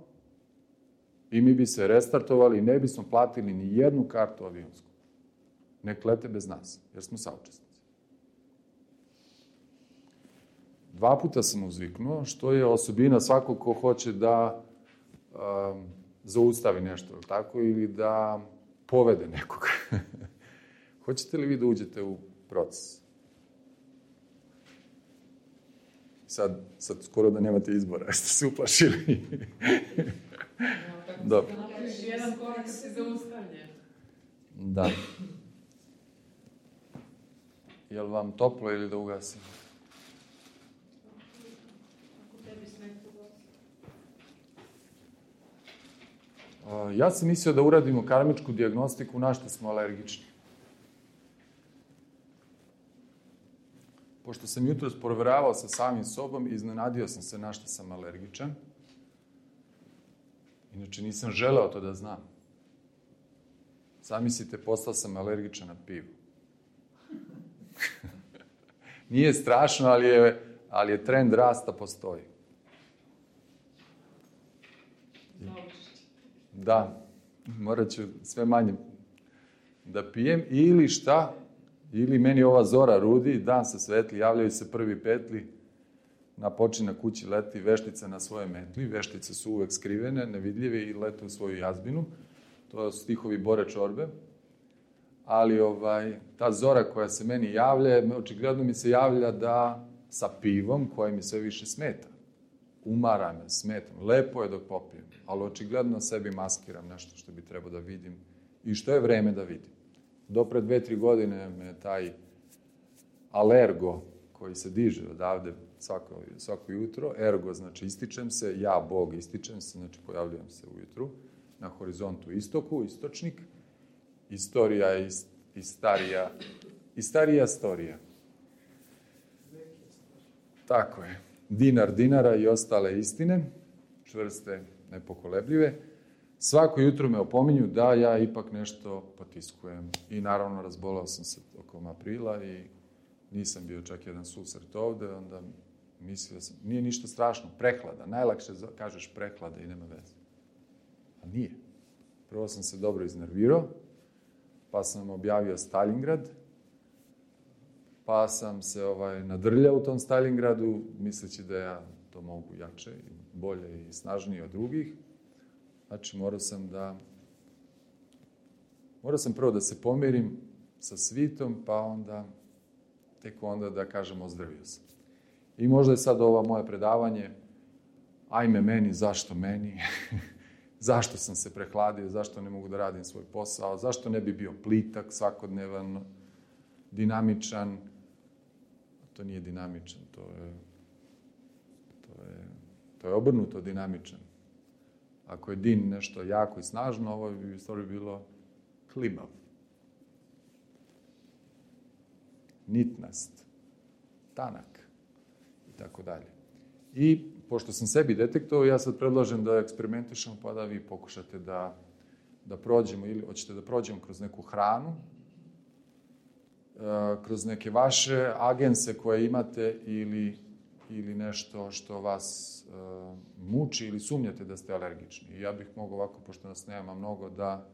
I mi bi se restartovali i ne bismo platili ni jednu kartu avionsku. Nek lete bez nas, jer smo saučesnici. 2 puta sam uzviknuo, što je osobina svakog ko hoće da zaustavi nešto, tako, ili da povede nekoga. Hoćete li vi da uđete u proces? Sad skoro da nemate izbora, jeste se uplašili. Dobro.
Napraviš jedan korak si zaustavljen.
Da. Je li vam toplo ili da ugasim?
Ako tebi smeta glas.
Ja sam mislio da uradimo karmičku dijagnostiku na što smo alergični. Pošto sam jutros proveravao sa samim sobom, iznenadio sam se na što sam alergičan. Inače, nisam želeo to da znam. Zamislite, postao sam alergičan na pivo. Nije strašno, ali je trend rasta postoji. Da, morat ću sve manje da pijem. Ili šta? Ili meni ova zora rudi, dan se svetli, javljaju se prvi petli, na počina kući leti veštica na svoje metli. Veštice su uvek skrivene, nevidljive i lete u svoju jazbinu. To su stihovi Bore Čorbe. Ali ta zora koja se meni javlja, očigledno mi se javlja da sa pivom koje mi sve više smeta. Umara me, smetam. Lepo je dok popijem, ali očigledno sebi maskiram nešto što bi trebao da vidim i što je vreme da vidim. Do pre 2-3 godine me taj alergo koji se diže odavde svako jutro, ergo znači ističem se, ja Bog ističem se, znači pojavljujem se ujutru, na horizontu istoku, istočnik, istorija i starija storija. Tako je. Dinar dinara i ostale istine, čvrste, nepokolebljive. Svako jutro me opominju da ja ipak nešto potiskujem. I naravno razbolao sam se tokom aprila i nisam bio čak jedan susret ovde, onda mislio sam, nije ništa strašno, prehlada. Najlakše kažeš prehlada i nema veze. A nije. Prvo sam se dobro iznervirao, pa sam objavio Stalingrad, pa sam se nadrljao u tom Stalingradu, misleći da ja to mogu jače, bolje i snažnije od drugih. Znači, morao sam prvo da se pomirim sa svitom, pa tek onda da kažem ozdravio sam. I možda je sad ovo moje predavanje, ajme meni, zašto meni, zašto sam se prehladio, zašto ne mogu da radim svoj posao, zašto ne bi bio plitak, svakodnevan, dinamičan. To nije dinamičan, to je obrnuto dinamičan. Ako je din nešto jako i snažno, ovo bi u stvari bilo klimav. Nitnast, tanak i tako dalje. I pošto sam sebi detektovao, ja sad predlažem da eksperimentišemo, pa da vi pokušate da prođemo, ili hoćete da prođemo kroz neku hranu, kroz neke vaše agense koje imate ili nešto što vas muči ili sumnjate da ste alergični. I ja bih mogao ovako, pošto nas nema mnogo, da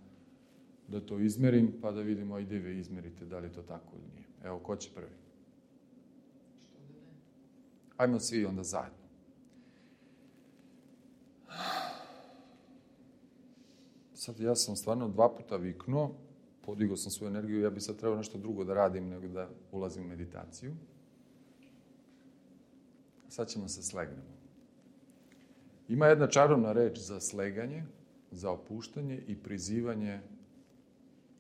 to izmerim, pa da vidimo i vi izmerite da li je to tako ili nije. Evo, ko će prvi?
Što da ne?
Ajmo svi onda zajedno. Sad ja sam stvarno 2 puta viknuo, podigao sam svoju energiju, ja bi sad trebao nešto drugo da radim nego da ulazim u meditaciju. Sad ćemo se slegnemo. Ima jedna čarobna reč za sleganje, za opuštanje i prizivanje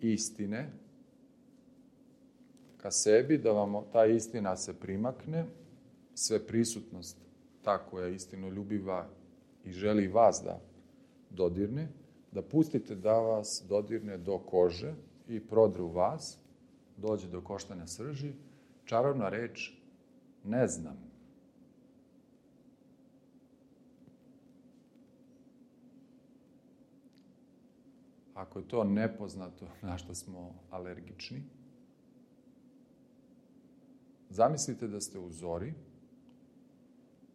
istine ka sebi, da vam ta istina se primakne, sve prisutnost, ta koja je istinoljubiva i želi vas da dodirne, da pustite da vas dodirne do kože i prodre u vas, dođe do koštanja srži. Čarobna reč ne znam. Ako je to nepoznato na što smo alergični, zamislite da ste u zori,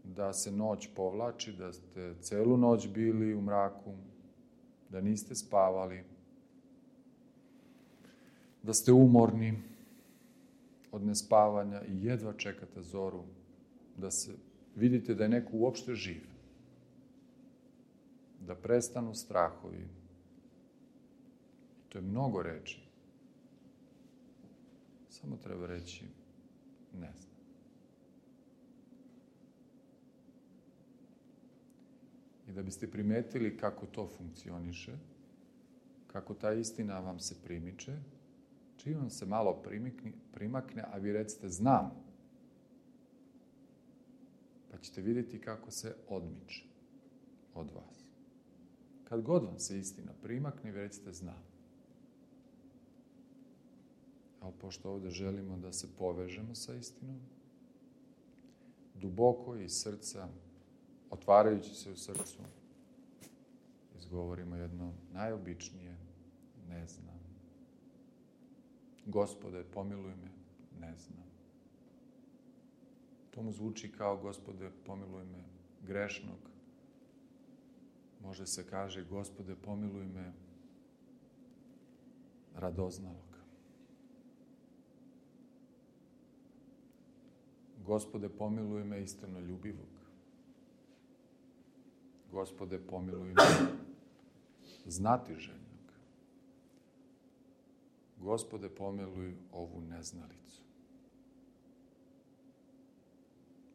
da se noć povlači, da ste celu noć bili u mraku, da niste spavali, da ste umorni od nespavanja i jedva čekate zoru, da vidite da je neko uopšte živ, da prestanu strahovi. To je mnogo reči. Samo treba reći ne znam. I da biste primetili kako to funkcioniše, kako ta istina vam se primiče, čim vam se malo primakne, a vi recite znam, pa ćete vidjeti kako se odmiče od vas. Kad god vam se istina primakne, vi recite znam. Ali pošto ovdje želimo da se povežemo sa istinom, duboko iz srca, otvarajući se u srcu, izgovorimo jedno najobičnije ne znam. Gospode, pomiluj me, ne znam. To mu zvuči kao Gospode, pomiluj me, grešnog. Može se kaže Gospode, pomiluj me, radoznalog. Gospode, pomiluj me, istinoljubivog. Gospode, pomiluj me, znatiželjnog. Gospode, pomiluj ovu neznalicu.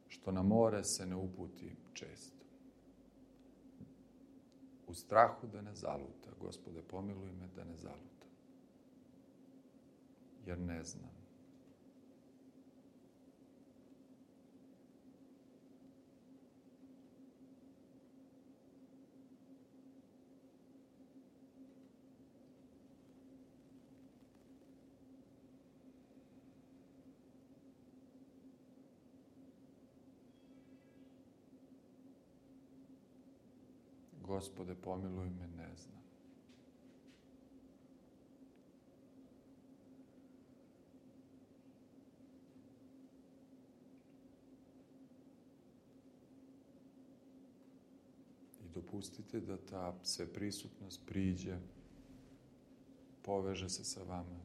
Što na more se ne uputi često. U strahu da ne zaluta. Gospode, pomiluj me da ne zaluta. Jer ne znam. Gospode, pomiluj me, ne znam. dopustite da ta sveprisutnost priđe, poveže se sa vama.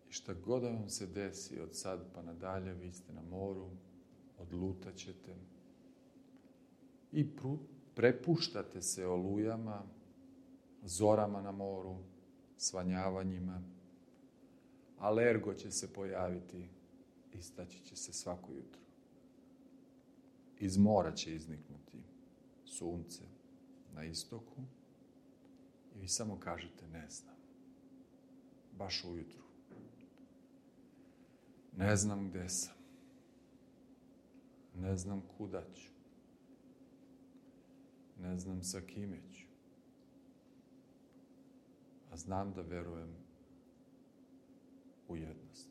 I šta god da vam se desi od sad pa nadalje, vi ste na moru, odlutat ćete i prepuštate se olujama, zorama na moru, svanjavanjima. Alergo će se pojaviti, istaći će se svako jutro. Iz mora će izniknuti sunce na istoku i vi samo kažete ne znam. Baš ujutru. Ne znam gde sam. Ne znam kuda ću. Ne znam sa kime ću. A znam da verujem u jednost.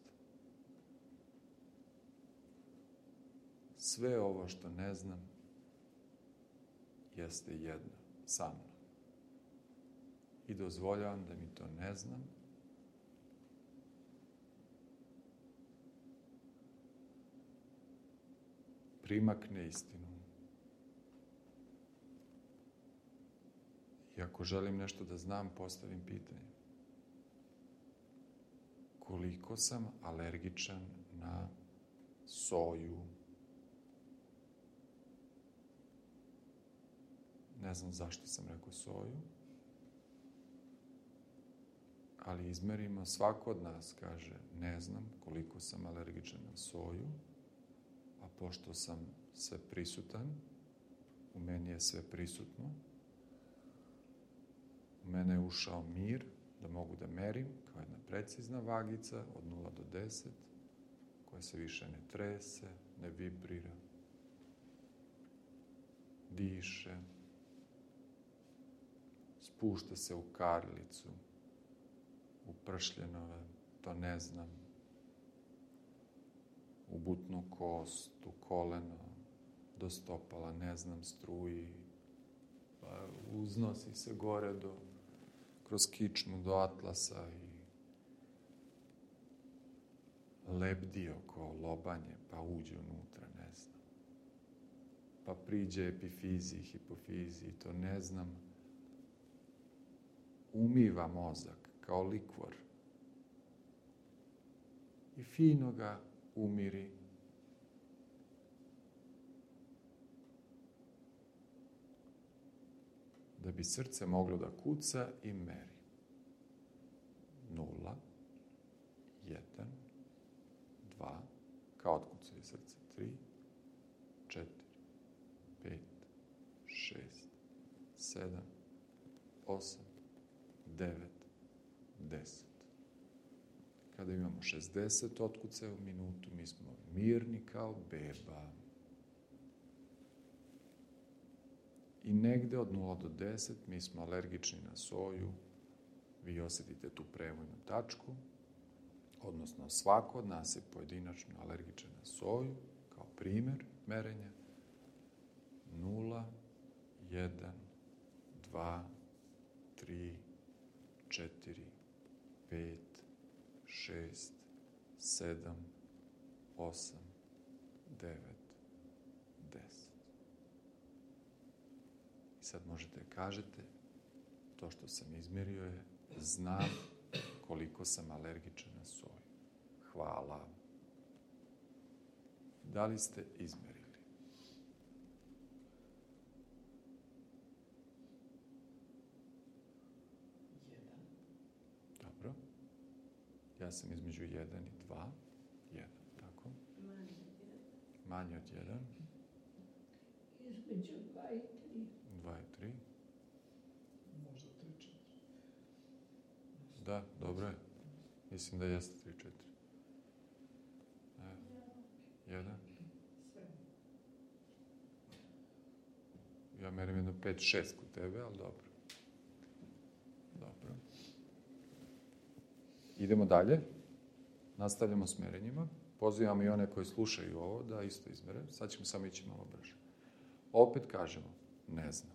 Sve ovo što ne znam jeste jedno sa mnom. I dozvoljavam da mi to ne znam primakne istinu. I ako želim nešto da znam, postavim pitanje. Koliko sam alergičan na soju? Ne znam zašto sam rekao soju, ali izmerimo, svako od nas kaže, ne znam koliko sam alergičan na soju, a pošto sam sve prisutan, u meni je sve prisutno, u mene je ušao mir, da mogu da merim, kao jedna precizna vagica od 0 do 10, koja se više ne trese, ne vibrira, diše, spušta se u karlicu, u pršljenove, to ne znam, u butnu kost, u koleno, do stopala, ne znam, struji, pa uznosi se gore kroz kičmu do atlasa i lebdi oko lobanje, pa uđe unutra, ne znam. Pa priđe epifiziji, hipofiziji, to ne znam. Umiva mozak kao likvor i fino ga umiri. Da bi srce moglo da kuca i meri. 0, 1, 2, kao otkucuje srce. 3, 4, 5, 6, 7, 8, 9, 10. Kada imamo 60 otkucaja u minutu, mi smo mirni kao beba. I negde od 0 do 10 mi smo alergični na soju. Vi osjetite tu prevojnu tačku, odnosno svako od nas je pojedinačno alergičan na soju, kao primer merenja. 0, 1, 2, 3, 4, 5, 6, 7, 8, 9, 10. I sad možete kažete, to što sam izmjerio je, znam koliko sam alergičan na soju. Hvala. Da li ste izmjerili? Dobro. Ja sam između 1 i 2. 1, tako? Manje od 1.
Između 2 i 3.
2 i 3.
Možda 3, 4.
Da, dobro je. Mislim da jeste 3, 4. 1. Ja merim jedno 5, 6 kod tebe, ali dobro. Dobro. Idemo dalje. Nastavljamo s merenjima. Pozivam i one koji slušaju ovo da isto izmere. Sad ćemo samo ići malo brže. Opet kažemo, ne znam.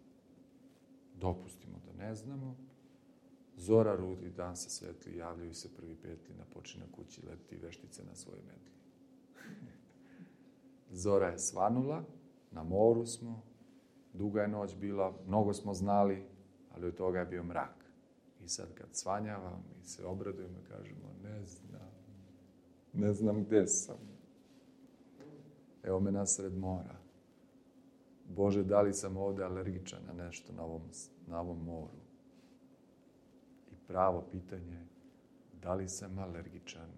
Dopustimo da ne znamo. Zora rudi, dan se svetli, javljaju se prvi petli, na počinak kući leti veštice na svojoj metli. Zora je svanula, na moru smo, duga je noć bila, mnogo smo znali, ali od toga je bio mrak. I sad kad svanjava, mi se obradujemo i kažemo, ne znam gde sam. Evo me nasred mora. Bože, da li sam ovde alergičan na nešto na ovom moru? I pravo pitanje je, da li sam alergičan?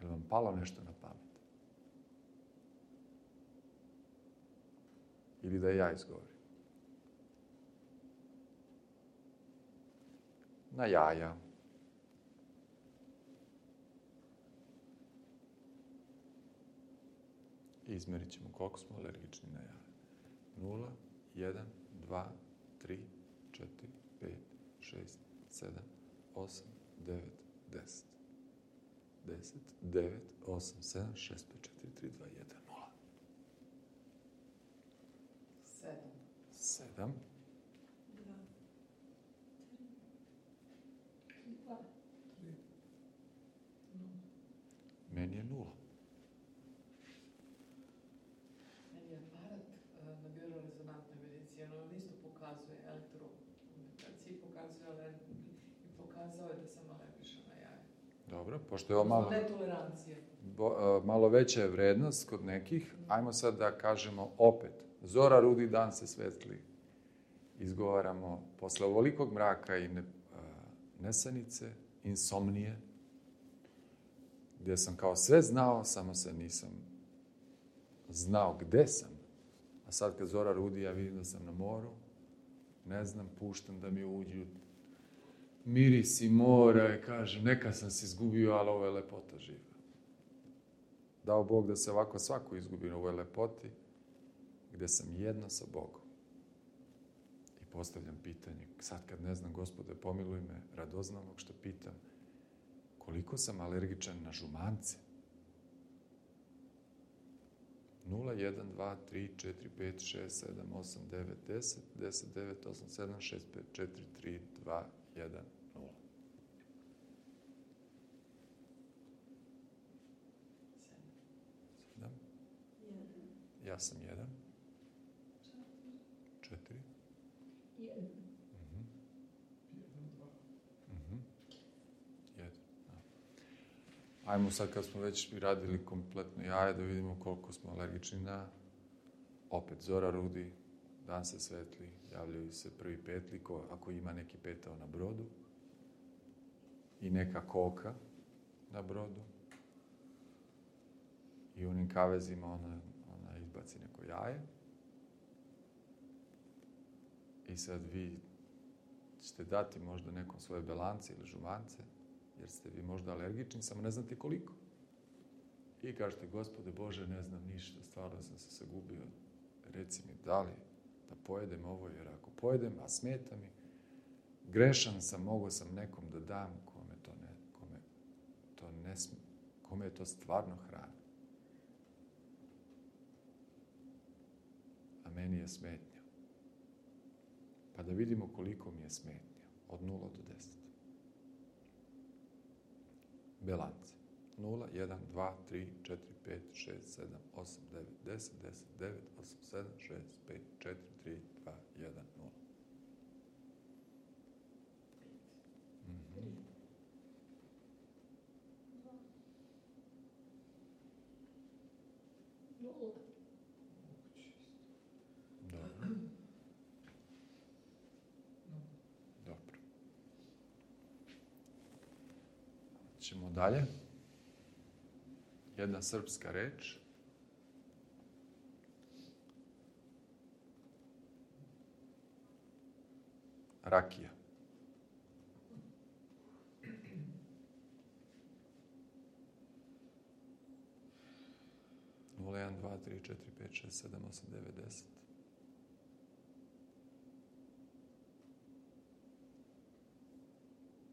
Je li vam palo nešto na pamet? Ili da ja izgovorim? Na jaja. I izmerit ćemo koliko smo alergični na jaja. 0, 1, 2, 3, 4, 5, 6, 7, 8, 9, 10. 10, 9, 8, 7, 6, 5, 4, 3, 2, 1, 0. 7. Meni je 0.
Meni je aparat na biorezonantnoj medicini, on isto pokazuje elektrokomunikaciji, pokazao je da sam alergična na jaja.
Dobro, pošto je ovo malo...
Netolerancija.
Malo veća je vrednost kod nekih, ajmo sad da kažemo opet. Zora rudi, dan se svetli. Izgovaramo posle ovolikog mraka i nesanice, insomnije, gdje sam kao sve znao, samo se nisam znao gde sam. A sad kad zora rudi, ja vidim da sam na moru, ne znam, puštam da mi uđu mirisi mora i kažem, neka sam se izgubio, ali ovo je lepota živa. Dao Bog da se ovako svako izgubi na ovoj lepoti, gde sam jedno sa Bogom. I postavljam pitanje, sad kad ne znam, Gospode, pomiluj me, radoznalog što pitam, koliko sam alergičan na žumance? 0, 1, 2, 3, 4, 5, 6, 7, 8, 9, 10, 10, 9, 8, 7, 6, 5, 4, 3, 2, 1, 0. 7. Ja sam 1. 4.
1.
1. Ajmo sad kad smo već radili kompletno jaje da vidimo koliko smo alergični na opet zora rudi, dan se svetli, javljaju se prvi petli, ako ima neki petao na brodu i neka koka na brodu i u onim kavezima ona izbaci neko jaje i sad vi ćete dati možda nekom svoje belance ili žumance jer ste vi možda alergični, samo ne znate koliko. I kažete, Gospode Bože, ne znam ništa, stvarno sam se sagubio, reci mi da li da pojedem ovo, jer ako pojedem, a smeta mi, grešan sam, mogao sam nekom da dam kome je to stvarno hrana. A meni je smetnja. Pa da vidimo koliko mi je smetnja, od 0 do 10. Belance. 0, 1, 2, 3, 4, 5, 6, 7, 8, 9, 10, 10, 9, 8, 7, 6, 5, 4, 3, 2, 1, 0. Dobro. Dobro. Ćemo dalje. Jedna srpska reč. Rakija. Nula, 1, 2, 3, 4, 5, 6, 7, 8, 9, 10.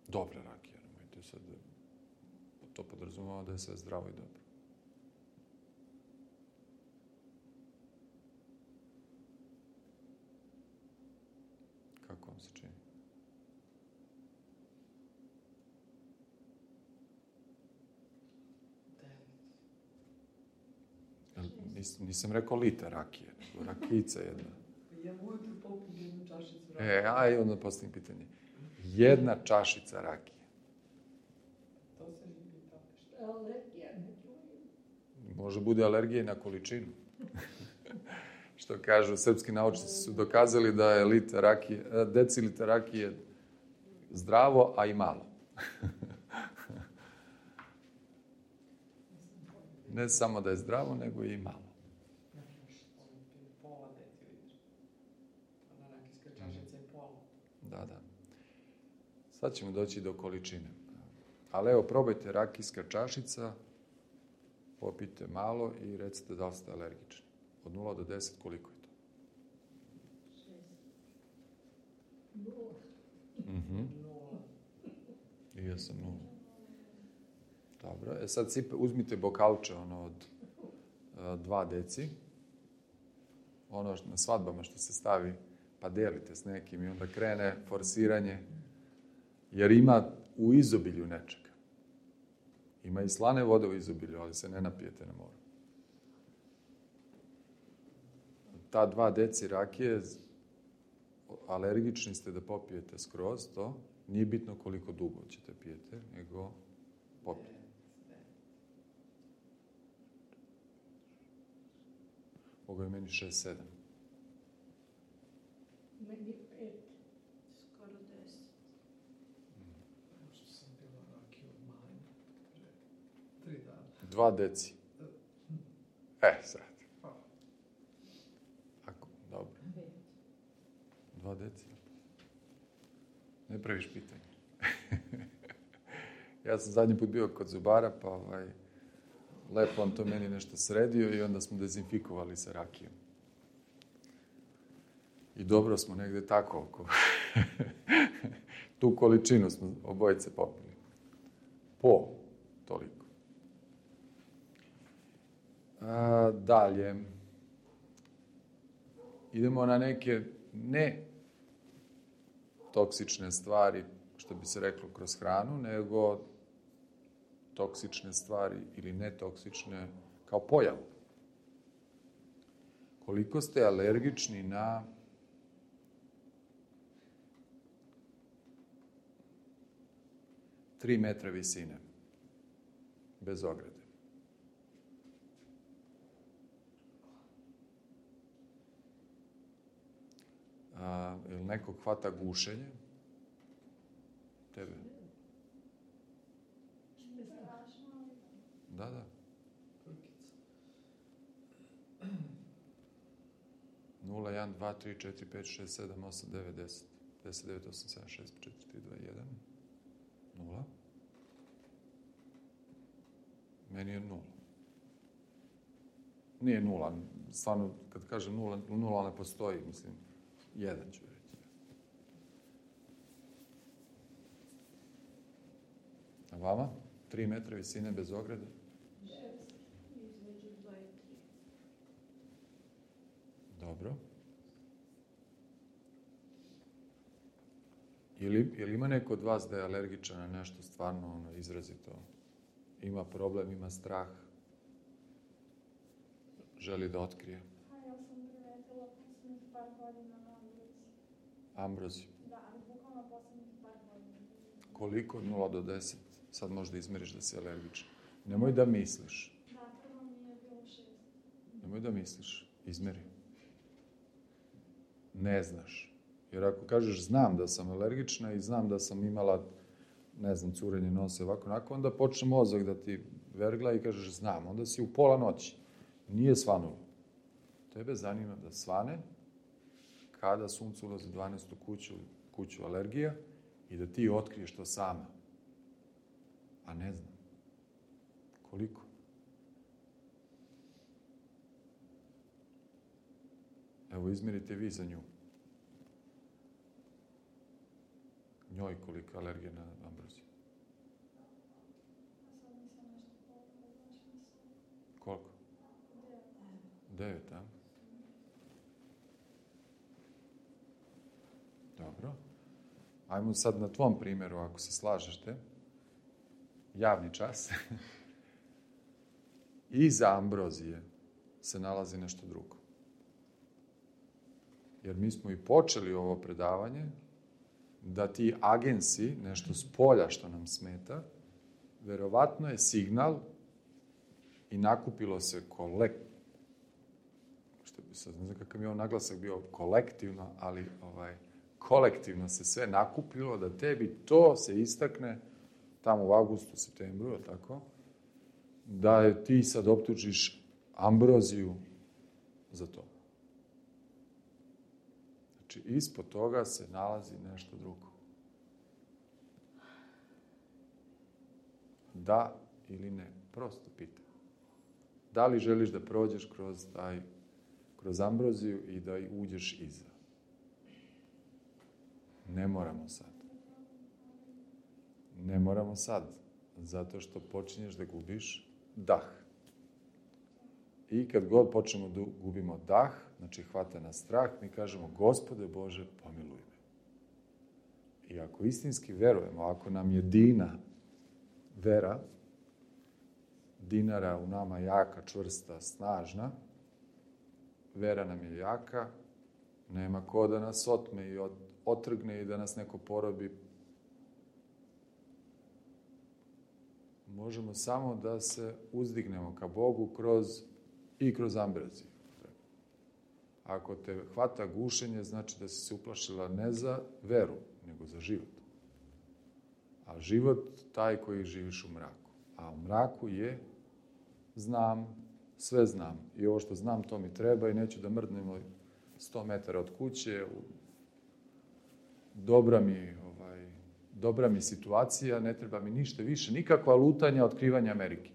Dobra rakija, nemojte sad, to podrazumeva da je sve zdravo i dobro. mi se čini. Nisam rekao liter rakije, nego rakijica jedna.
Ja ujutru popijem jednu čašicu
Aj, onda postavim pitanje. Jedna čašica rakije.
To se mi pitao nešto.
Alergija, ne
Može bude alergija i na količinu. Što kažu, srpski naučnici su dokazali da je deciliter rakije zdravo, a i malo. Ne samo da je zdravo, nego i malo.
Pola decilitra. Ona rakijska čašica je pola.
Da. Sad ćemo doći do količine. Ali evo, probajte rakijska čašica, popijte malo i recite da li ste alergični. Od 0 do 10 koliko je to?
6.
I ja sam 0. Dobro, sad uzmite bokalče od 2 deci. Ono na svadbama što se stavi, pa delite s nekim i onda krene forsiranje. Jer ima u izobilju nečega. Ima i slane vode u izobilju, ali se ne napijete na moru. Ta 2 deci rakije, alergični ste da popijete skroz to. Nije bitno koliko dugo ćete pijete, nego popijete. Ovo je meni 6-7.
Meni 5. Skoro 10.
Što sam bila rakija od manje, 3 dana.
2 deci. Sad. Dobro. 2 deci. Ne praviš pitanje. Ja sam zadnji put bio kod zubara, pa lepo on to meni nešto sredio i onda smo dezinfikovali sa rakijom. I dobro smo negde tako oko. Tu količinu smo obojice popili. Toliko. Dalje. Idemo na neke ne toksične stvari, što bi se reklo kroz hranu, nego toksične stvari ili netoksične kao pojavu. Koliko ste alergični na tri metra visine, bez ograde? Ili nekog hvata gušenje? Tebe? Da. 0, 1, 2, 3, 4, 5, 6, 7, 8, 9, 10. 10, 9, 8, 7, 6, 4, 3, 2, 1. 0. Meni je 0. Nije 0. Stvarno, kad kažem 0, 0 ne postoji, mislim. 1 ću reći. A vama? 3 metra visine bez ograde?
Između 2 i 3.
Dobro. Ili ima neko od vas da je alergičan na nešto stvarno izrazito? Ima problem, ima strah? Želi da otkrije?
Ja sam primetila poslednjih par godina na ambroziju.
Ambroziju?
Da, ali bukvalno poslednjih par godina.
Koliko? 0 do 10? Sad možda izmeriš da si alergičan. Nemoj da misliš.
Da, prvo mi je bilo 6.
Nemoj da misliš. Izmeri. Ne znaš. Jer ako kažeš znam da sam alergična i znam da sam imala, ne znam, curenje nosa, ovako, onako, onda počne mozak da ti vergla i kažeš znam. Onda si u pola noći. Nije svanulo. Tebe zanima da svane kada sunce ulazi u 12. kuću alergija i da ti otkriješ to sama. A ne znam. Koliko? Evo, izmerite vi za nju. Njoj koliko alergija na ambroziju.
A sad nisam nešto pogledala, znači mislim.
Koliko?
9.
9, a? Dobro. Ajmo sad na tvom primjeru, ako se slažete, javni čas. Iza ambrozije se nalazi nešto drugo. Jer mi smo i počeli ovo predavanje da ti agensi, nešto s polja što nam smeta, verovatno je signal i nakupilo se ne znam kakav je on naglasak bio kolektivno, ali kolektivno se sve nakupilo da tebi to se istakne tamo u avgustu, septembru, tako, da je ti sad optužiš ambroziju za to. Znači, ispod toga se nalazi nešto drugo. Da ili ne? Prosto pitam. Da li želiš da prođeš kroz ambroziju i da uđeš iza? Ne moramo sad. Ne moramo sad. Zato što počinješ da gubiš dah. I kad god počnemo da gubimo dah, znači hvata nas strah, mi kažemo, Gospode Bože, pomiluj me. I ako istinski verujemo, ako nam je Dina vera, dinara u nama jaka, čvrsta, snažna, vera nam je jaka, nema ko da nas otme i otrgne i da nas neko porobi. Možemo samo da se uzdignemo ka Bogu kroz ambroziju. Ako te hvata gušenje, znači da si se uplašila ne za veru, nego za život. A život taj koji živiš u mraku. A u mraku je znam, sve znam. I ovo što znam, to mi treba i neću da mrdnemo 100 metara od kuće. Dobra mi situacija, ne treba mi ništa više, nikakva lutanja, otkrivanja Amerike.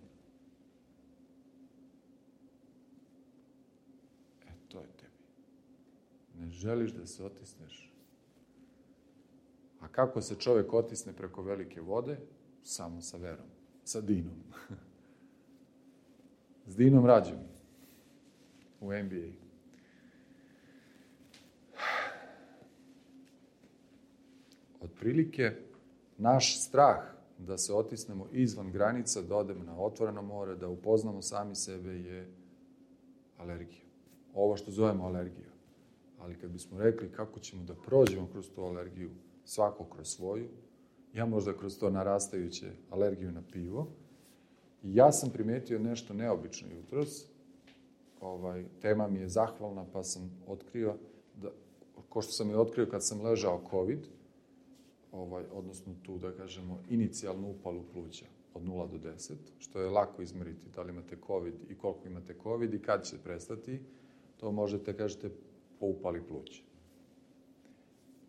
To je tebi. Ne želiš da se otisneš. A kako se čovjek otisne preko velike vode? Samo sa verom, sa Dinom. S Dinom rađom u NBA. Otprilike, naš strah da se otisnemo izvan granica, da odemo na otvoreno more, da upoznamo sami sebe je alergija. Ovo što zovemo alergija. Ali kad bismo rekli kako ćemo da prođemo kroz tu alergiju, svako kroz svoju, ja možda kroz to narastajuće alergiju na pivo, ja sam primetio nešto neobično jutros. Tema mi je zahvalna, pa sam otkrio, ko što sam je otkrio kad sam ležao COVID, odnosno tu, da kažemo, inicijalnu upalu pluća od 0 do 10, što je lako izmeriti da li imate COVID i koliko imate COVID i kad će prestati, to možete, kažete, po upali pluća.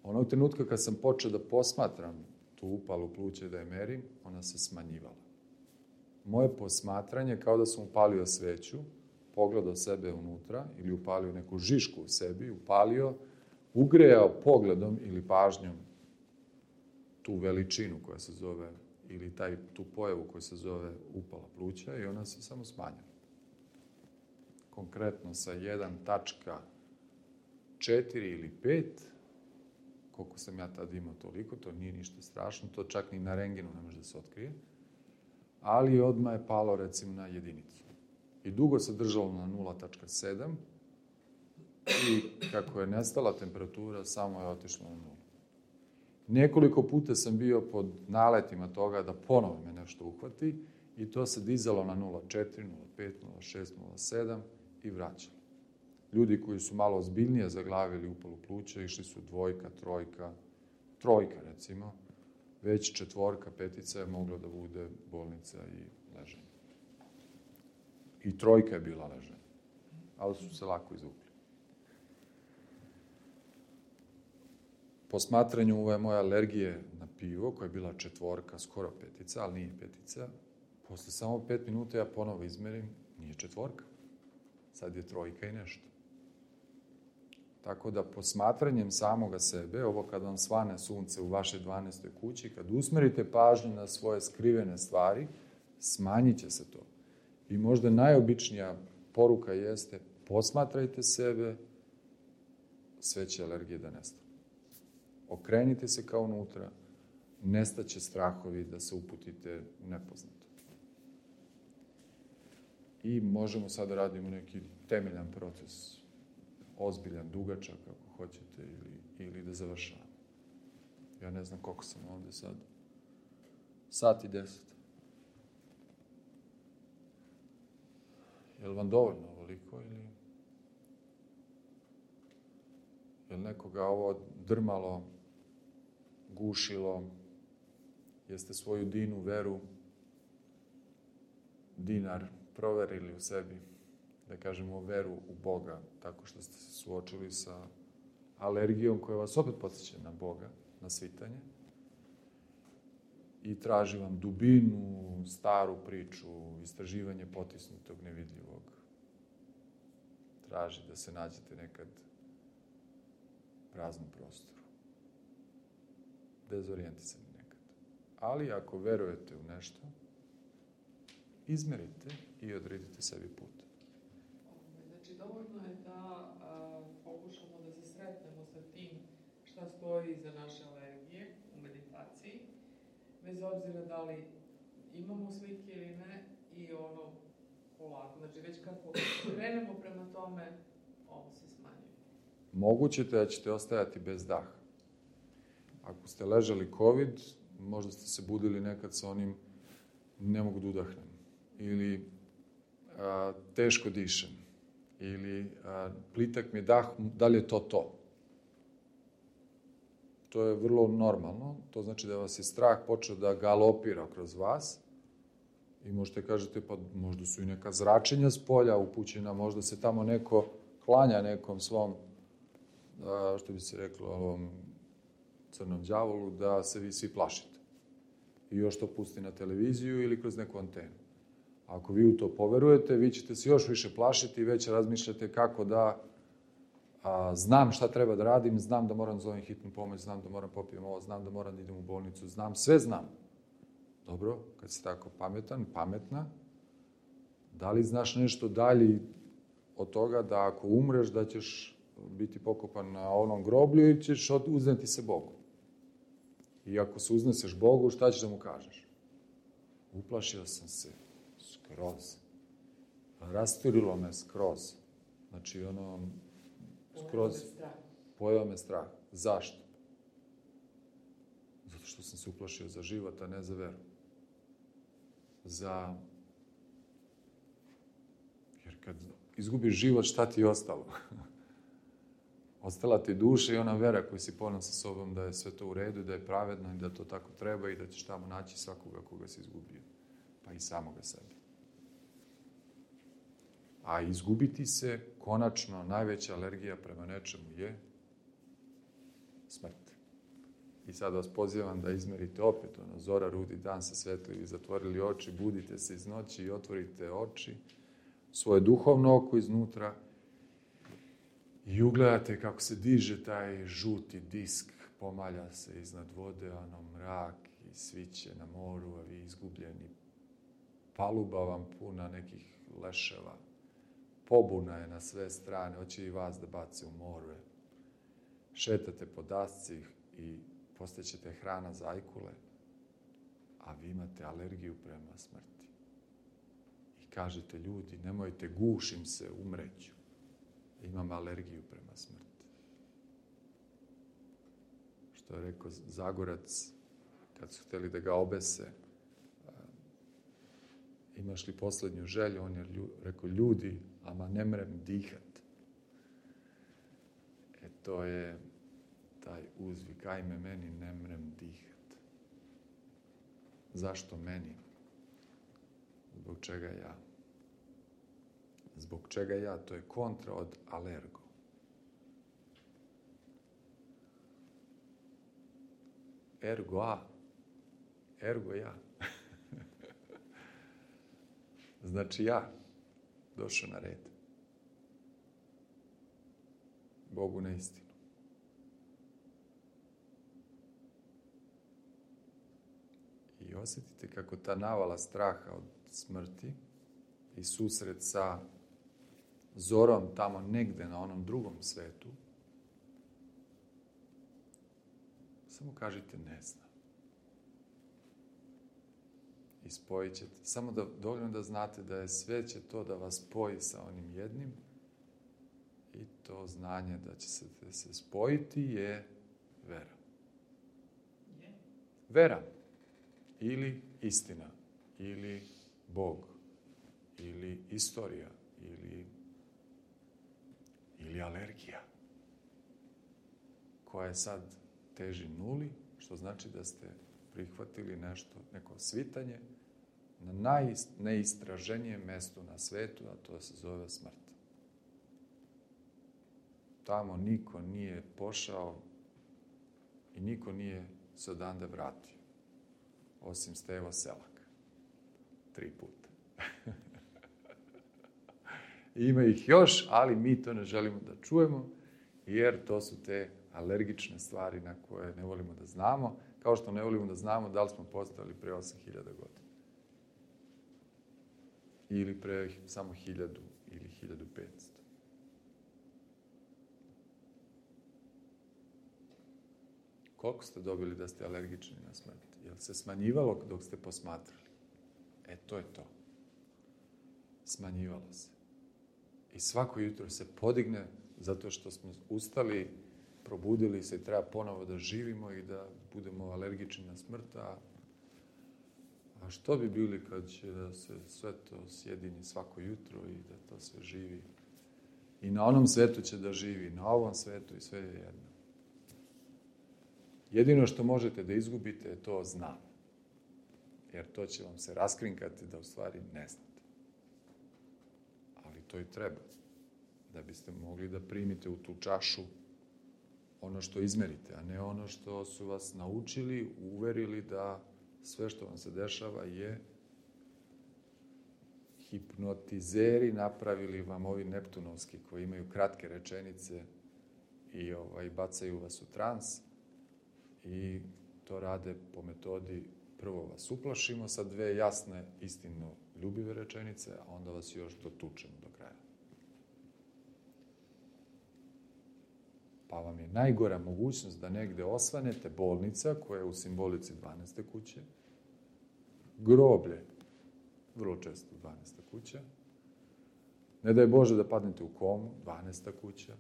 Onog trenutka kad sam počeo da posmatram tu upalu pluća da je merim, ona se smanjivala. Moje posmatranje, kao da sam upalio sveću, pogledao sebe unutra ili upalio neku žišku u sebi, ugrejao pogledom ili pažnjom tu veličinu koja se zove, ili tu pojavu koja se zove upala pluća i ona se samo smanjila. Konkretno sa 1.4 ili 5, koliko sam ja tad imao toliko, to nije ništa strašno, to čak ni na rengenu ne može da se otkrije, ali odmah je palo recimo na 1. I dugo se držalo na 0.7 i kako je nestala temperatura, samo je otišlo na 0. Nekoliko puta sam bio pod naletima toga da ponovo me nešto uhvati i to se dizalo na 0.4, 0.5, 0.6, 0.7 i vraćalo. Ljudi koji su malo ozbiljnije zaglavili upalu pluća, išli su 2, 3 recimo, već 4, 5 je moglo da bude bolnica i leženje. I 3 je bila leženje, ali su se lako izvukli. Po smatranju ove moje alergije na pivo, koja je bila 4, skoro 5, ali nije 5, posle samo 5 minuta ja ponovo izmerim, nije 4, sad je 3 i nešto. Tako da posmatranjem samoga sebe, ovo kad vam svane sunce u vašoj 12. kući, kad usmerite pažnju na svoje skrivene stvari, smanjit će se to. I možda najobičnija poruka jeste posmatrajte sebe, sve će alergije da nestane. Okrenite se kao unutra, nestaće strahovi da se uputite u nepoznato. I možemo sad da radimo neki temeljan proces, ozbiljan, dugačak, ako hoćete, ili da završavamo. Ja ne znam koliko sam ovde sad. 1:10. Je li vam dovoljno ovoliko ili... Je li nekoga ovo drmalo, gušilo? Jeste svoju dinu, veru, dinar proverili u sebi? Da kažemo veru u Boga, tako što ste se suočili sa alergijom koja vas opet podsjeća na Boga, na svitanje. I traži vam dubinu, staru priču, istraživanje potisnutog, nevidljivog. Traži da se nađete nekad u praznom prostoru. Dezorijentisani nekad. Ali ako verujete u nešto, izmerite i odredite sebi put.
Znači, dovoljno je da pokušamo da se sretnemo sa tim šta stoji iza naše alergije u meditaciji, bez obzira da li imamo slike ili ne, i ono polako. Znači, već kako krenemo prema tome, ovo se smanjuje.
Moguće da ćete ostajati bez daha. Ako ste ležali COVID, možda ste se budili nekad sa onim ne mogu da udahnem, ili teško dišem, ili plitak mi je dah, da li je to to? To je vrlo normalno, to znači da vas je strah počeo da galopira kroz vas i možete kažete, pa možda su i neka zračenja s polja upućena, možda se tamo neko klanja nekom svom, što bi se reklo, ovom crnom đavolu, da se vi svi plašite. I još to pusti na televiziju ili kroz neku antenu. Ako vi u to poverujete, vi ćete se još više plašiti i već razmišljate kako da znam šta treba da radim, znam da moram zovem hitnu pomoć, znam da moram popijem ovo, znam da moram da idem u bolnicu, znam, sve znam. Dobro, kad si tako pametan, pametna, da li znaš nešto dalje od toga da ako umreš da ćeš biti pokopan na onom groblju i ćeš uzneti se Bogu? I ako se uzneseš Bogu, šta ćeš da mu kažeš? Uplašio sam se skroz. Rasturilo me skroz. Znači, ono, skroz pojeo me strah. Zašto? Zato što sam se uplašio za život, a ne za veru. Jer kad izgubiš život, šta ti je ostalo? Ostala ti duša i ona vera koju si poneo sa sobom da je sve to u redu, da je pravedno i da to tako treba i da ćeš tamo naći svakoga koga si izgubio. Pa i samoga sebe. A izgubiti se, konačno, najveća alergija prema nečemu je smrt. I sad vas pozivam da izmerite opet, zora, rudi, dan se svetli, zatvorili oči, budite se iz noći i otvorite oči, svoje duhovno oko iznutra i ugledate kako se diže taj žuti disk, pomalja se iznad vode, ono mrak i sviće na moru, a vi izgubljeni. Paluba vam puna nekih leševa. Pobuna je na sve strane, hoće i vas da bace u more. Šetate po dasci i postaćete hrana za ajkule, a vi imate alergiju prema smrti. I kažete, ljudi, nemojte, gušim se, umreću. Imam alergiju prema smrti. Što je rekao Zagorac, kad su htjeli da ga obese, imaš li poslednju želju? On je rekao, ljudi, ama ne mrem dihat. To je taj uzvik, ajme meni, ne mrem dihat. Zašto meni? Zbog čega ja? Zbog čega ja? To je kontra od alergo. Ergo a. Ergo ja. Znači ja došao na red. Bogu na istinu. I osjetite kako ta navala straha od smrti i susret sa zorom tamo negde na onom drugom svetu Samo kažite ne znam. I spojit ćete. Samo dovoljno da znate da je sve će to da vas spoji sa onim jednim i to znanje da će se spojiti je vera. Vera. Ili istina. Ili Bog. Ili istorija. Ili alergija. Koja je sad teži nuli, što znači da ste prihvatili nešto, neko svitanje na najneistraženijem mestu na svetu, a to se zove smrt. Tamo niko nije pošao i niko nije se odande vratio. Osim Stevo Selak. 3 puta. Ima ih još, ali mi to ne želimo da čujemo, jer to su te alergične stvari na koje ne volimo da znamo, kao što ne volimo da znamo da li smo postojali pre 8000 godina. Ili pre samo 1000 ili 1500. Koliko ste dobili da ste alergični na smrt? Je li se smanjivalo dok ste posmatrali? To je to. Smanjivalo se. I svako jutro se podigne zato što smo ustali, probudili se i treba ponovo da živimo i da budemo alergični na smrt. A što bi bili kad će da se sve to sjedini svako jutro i da to sve živi? I na onom svetu će da živi, na ovom svetu i sve je jedno. Jedino što možete da izgubite je to znam. Jer to će vam se raskrinkati da u stvari ne znate. Ali to i treba. Da biste mogli da primite u tu čašu ono što izmerite, a ne ono što su vas naučili, uverili da sve što vam se dešava je hipnotizeri napravili vam ovi neptunovski koji imaju kratke rečenice i bacaju vas u trans i to rade po metodi prvo vas uplašimo sa 2 jasne, istino ljubive rečenice, a onda vas još dotučemo do kraja. Pa vam je najgora mogućnost da negde osvanete bolnica koja je u simbolici 12. kuće, groblje, vrlo često 12. kuća, ne daj Bože da padnete u komu, 12. kuća,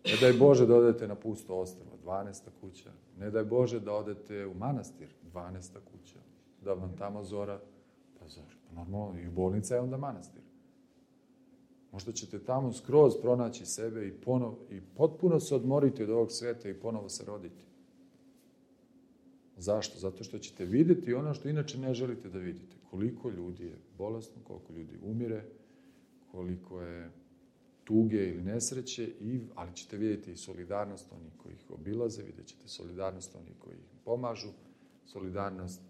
ne daj Bože da odete na pusto ostrvo, 12. kuća, ne daj Bože da odete u manastir, 12. kuća, da vam tamo zora, pa zora, normalno i bolnica je onda manastir. Možda ćete tamo skroz pronaći sebe i potpuno se odmoriti od ovog sveta i ponovo se roditi. Zašto? Zato što ćete vidjeti ono što inače ne želite da vidite. Koliko ljudi je bolesno, koliko ljudi umire, koliko je tuge ili nesreće, ali ćete vidjeti i solidarnost onih koji ih obilaze, vidjet ćete solidarnost onih koji ih pomažu, solidarnost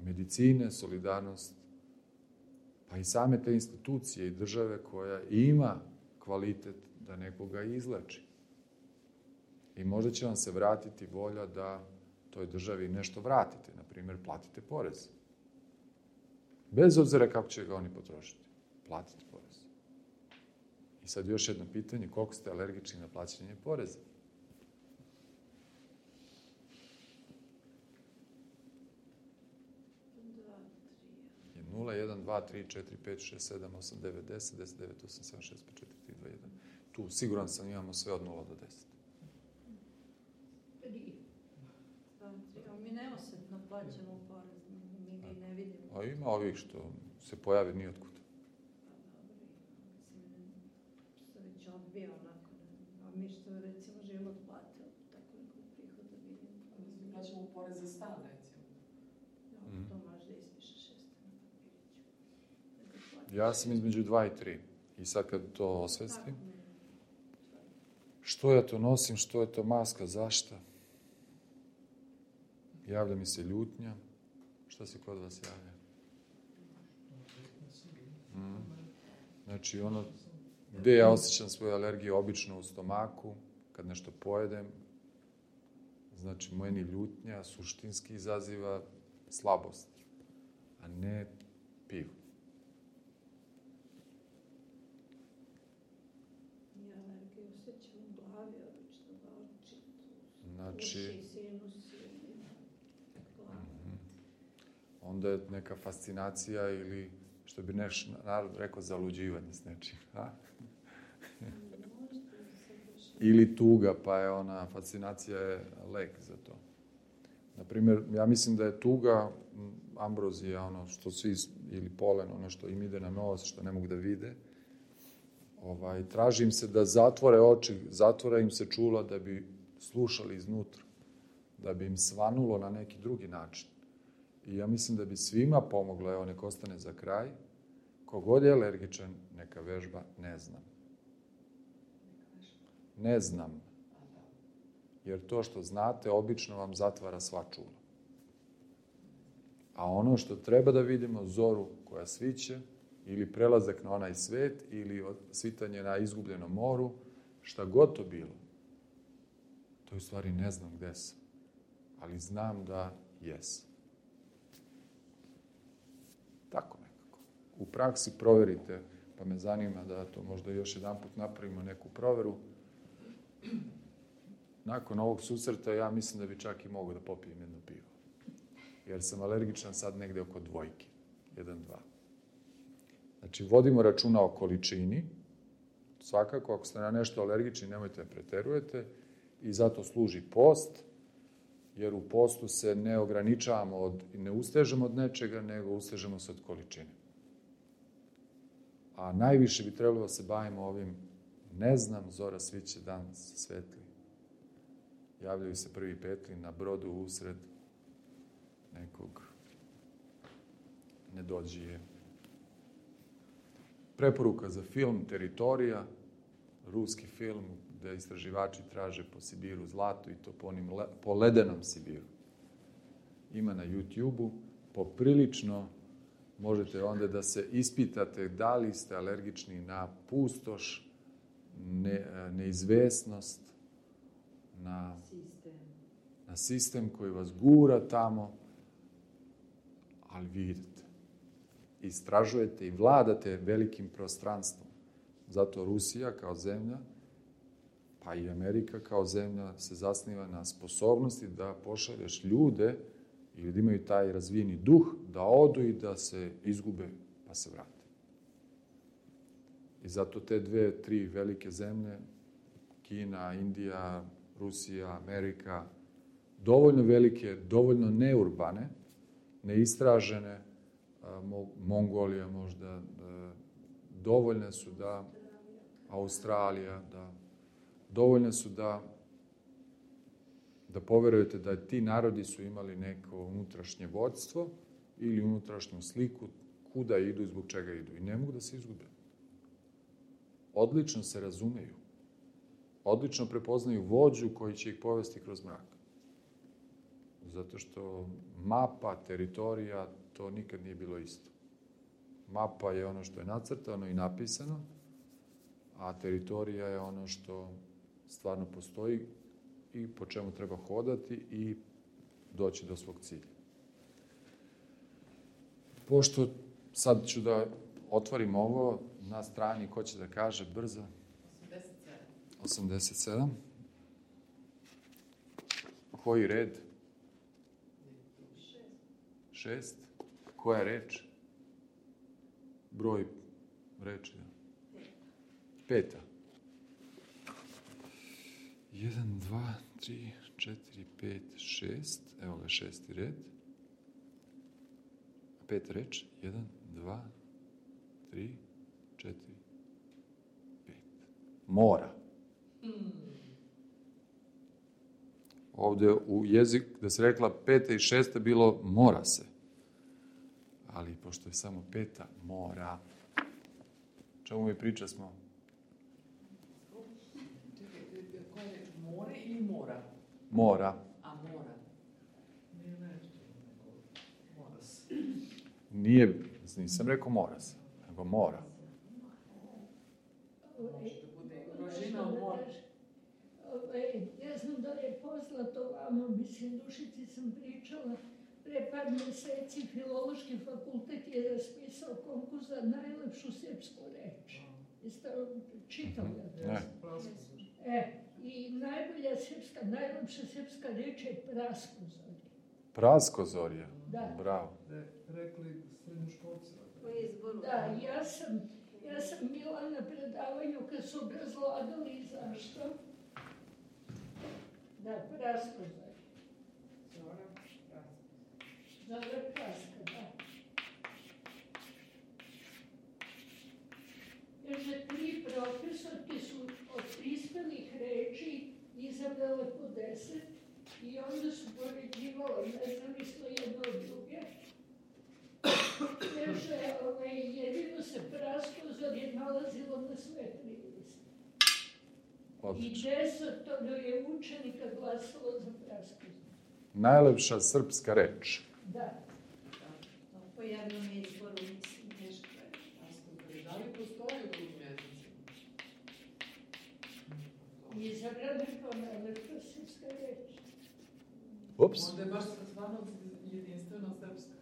medicine, solidarnost pa i same te institucije i države koja ima kvalitet da nekoga izleči. I možda će vam se vratiti volja da toj državi nešto vratite, na primjer platite porez. Bez obzira kako će ga oni potrošiti. Platite porez. I sad još jedno pitanje, koliko ste alergični na plaćanje poreza? Je 0, 1, 2, 3, 4, 5, 6, 7, 8, 9, 10, 10, 9, 8, 7, 6, 5, 4, 3, 2, 1. Tu siguran sam imamo sve od 0 do 10.
Mi neosjetno plaćamo porez, mi ga i ne vidimo.
A ima ovih što se pojave nijotkud.
Što već odbija onako. A mi što recimo živimo od plate, tako nekog prihoda vidimo.
Mi plaćamo porez za stan, recimo.
To možda ispiše 6 na papiriću.
Ja sam između 2 i 3. I sad kad to osvestim, što ja to nosim, što je to maska, zašto? Javlja mi se ljutnja. Šta se kod vas javlja? Znači, ono gde ja osjećam svoju alergiju, obično u stomaku, kad nešto pojedem, znači, meni ljutnja suštinski izaziva slabost, a ne pivo.
Ja alergiju osjećam u glavi, obično ga oči,
Znači,
uši, sinus.
onda je neka fascinacija ili, što bi naš narod rekao, zaluđivanje s nečim. A? Ili tuga, pa je ona, fascinacija je lek za to. Naprimjer, ja mislim da je tuga, ambrozija, ono što svi, ili polen, ono što im ide na nos, što ne mogu da vide, traži im se da zatvore oči, zatvore im se čula da bi slušali iznutra, da bi im svanulo na neki drugi način. I ja mislim da bi svima pomoglo, evo, nek ostane za kraj, kogod je alergičan, neka vežba ne znam. Ne znam. Jer to što znate, obično vam zatvara sva čula. A ono što treba da vidimo, zoru koja sviće, ili prelazak na onaj svet, ili svitanje na izgubljenom moru, šta god to bilo, to u stvari ne znam gde sam. Ali znam da jesam. Tako nekako. U praksi proverite, pa me zanima da to možda još jedan put napravimo neku proveru. Nakon ovog susreta ja mislim da bi čak i mogao da popijem jedno pivo. Jer sam alergičan sad negde oko 2. 1-2. Znači, vodimo računa o količini. Svakako, ako ste na nešto alergični, nemojte da preterujete. I zato služi post, jer u postu se ne ograničavamo, ne ustežemo od nečega, nego ustežemo se od količine. A najviše bi trebalo da se bavimo ovim, ne znam, zora sviće, dan svetli. Javljaju se prvi petli na brodu usred nekog nedođije. Preporuka za film Teritorija, ruski film gde istraživači traže po Sibiru zlato i to po ledenom Sibiru. Ima na YouTube-u, poprilično možete onda da se ispitate da li ste alergični na pustoš, neizvesnost, na sistem koji vas gura tamo, ali vi idete. Istražujete i vladate velikim prostranstvom. Zato Rusija kao zemlja, pa i Amerika kao zemlja se zasniva na sposobnosti da pošalješ ljude ili da imaju taj razvijeni duh, da odu i da se izgube pa se vrate. I zato te 2-3 velike zemlje, Kina, Indija, Rusija, Amerika, dovoljno velike, dovoljno neurbane, neistražene, Mongolija možda, dovoljne su da, Australija, da, dovoljne su da poverujete da ti narodi su imali neko unutrašnje vodstvo ili unutrašnju sliku kuda idu i zbog čega idu. I ne mogu da se izgube. Odlično se razumeju. Odlično prepoznaju vođu koji će ih povesti kroz mrak. Zato što mapa, teritorija, to nikad nije bilo isto. Mapa je ono što je nacrtano i napisano, a teritorija je ono što stvarno postoji i po čemu treba hodati i doći do svog cilja. Pošto sad ću da otvorim ovo na strani, ko će da kaže brzo? 87. Koji red? 6. Koja reč? Broj reči. 5. 1, 2, 3, 4, 5, 6. Evo ga 6. red. 5 reč. 1, 2, 3, 4, 5. Mora. Ovde u jezik, da se rekla 5. i 6. bilo mora se. Ali pošto je samo 5. mora. Čemu mi priča smo?
Koja je more ili mora?
Mora.
A mora.
Nije nešto, mora se.
Nije, nisam rekao mora se, nego mora.
Može da bude Rožina od mora.
Ja znam da je poznato vama, mislim, Dušici sam pričala, pre par meseci Filološki fakultet je raspisao konkurs za najlepšu srpsku reč. Jeste čitali?
Ne.
I najbolja srpska, najlepša srpska reč je praskozorje.
Praskozorje.
Da.
Bravo.
Rekli srednjoškolci.
Po izboru.
Da, ja sam bila na predavanju kad su obrazlagali zašto. Da, Praskozor. Zora Praska, da. Kaže, 3 profesorke su od prispelih reči izabrale po 10 i onda su poređivale, nezavisno jedno od druge. Kaže, jedino se Praskozor je nalazilo na sve 3 liste. I
Odlično.
10 je učenika glasalo za Praskozor.
Najlepša srpska reč.
Da.
Po jednom izboru, mislim, teško je.
Da li postoji u drugim jezicima?
Izabrana kao najlepša srpska reč.
Ups.
Onda je baš stvarno jedinstveno srpska.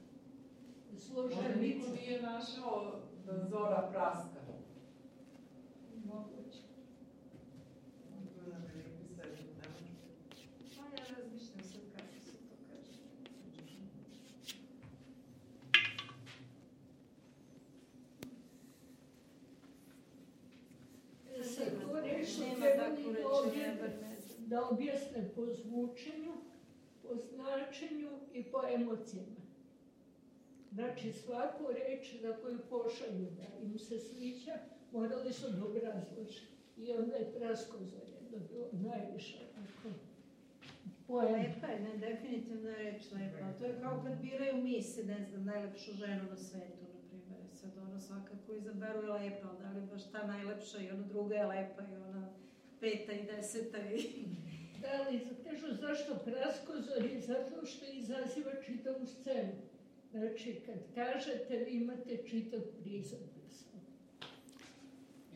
Možda
Složenica.
niko nije našao da Zora Praska.
Moguće.
To nam je neki srednji nemački.
Pa ja razmišljam sad kako se to kaže.
Sad to reč su
Nema
trebali
takvu reč, ja bar ne znam.
da objasne po zvučenju, po značenju i po emocijama. Znači, svaku reč za koju pošalju da im se sviđa, morali su da obrazlože. I onda je Praskozor dobilo najviše poena.
Lepa je, ne, definitivno je reč lepa. To je kao kad biraju mise, ne znam, najlepšu ženu na svetu, na primjer. Sad ono svakako izaberu je lepa, ali da li baš ta najlepša i ona druga je lepa i ona 5. i 10. i...
Da, ali kažu zašto Praskozor je zato što izaziva čitavu scenu. Znači, kad kažete, vi imate čitav prizor.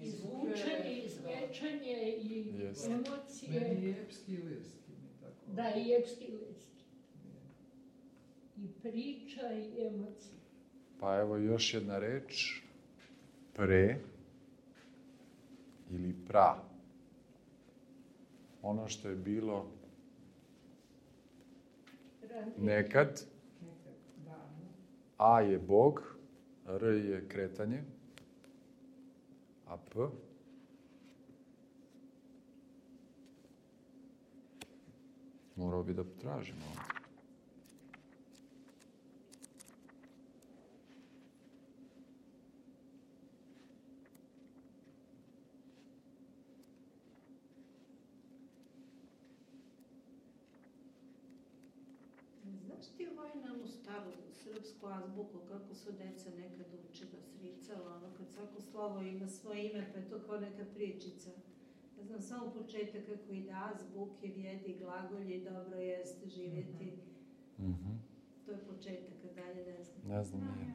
I zvučanje, i zvečanje, i
Jeste.
emocije.
Meni je epski i lirski. Tako.
Da, i epski lirski. I priča, i emocije.
Pa evo još jedna reč. Pre ili pra. Ono što je bilo nekad. A je Bog, R je kretanje, a P morao bi da tražimo.
Znaš ti onu staru srpsku azbuku, kako su deca nekad učila, sricala, ono kad svako slovo ima svoje ime, pa je to kao neka pričica. Ja znam samo početak kako ide azbuke, vjedi, glagolji, dobro jeste živjeti. To je početak, a dalje ne znam.
Ne znam nije.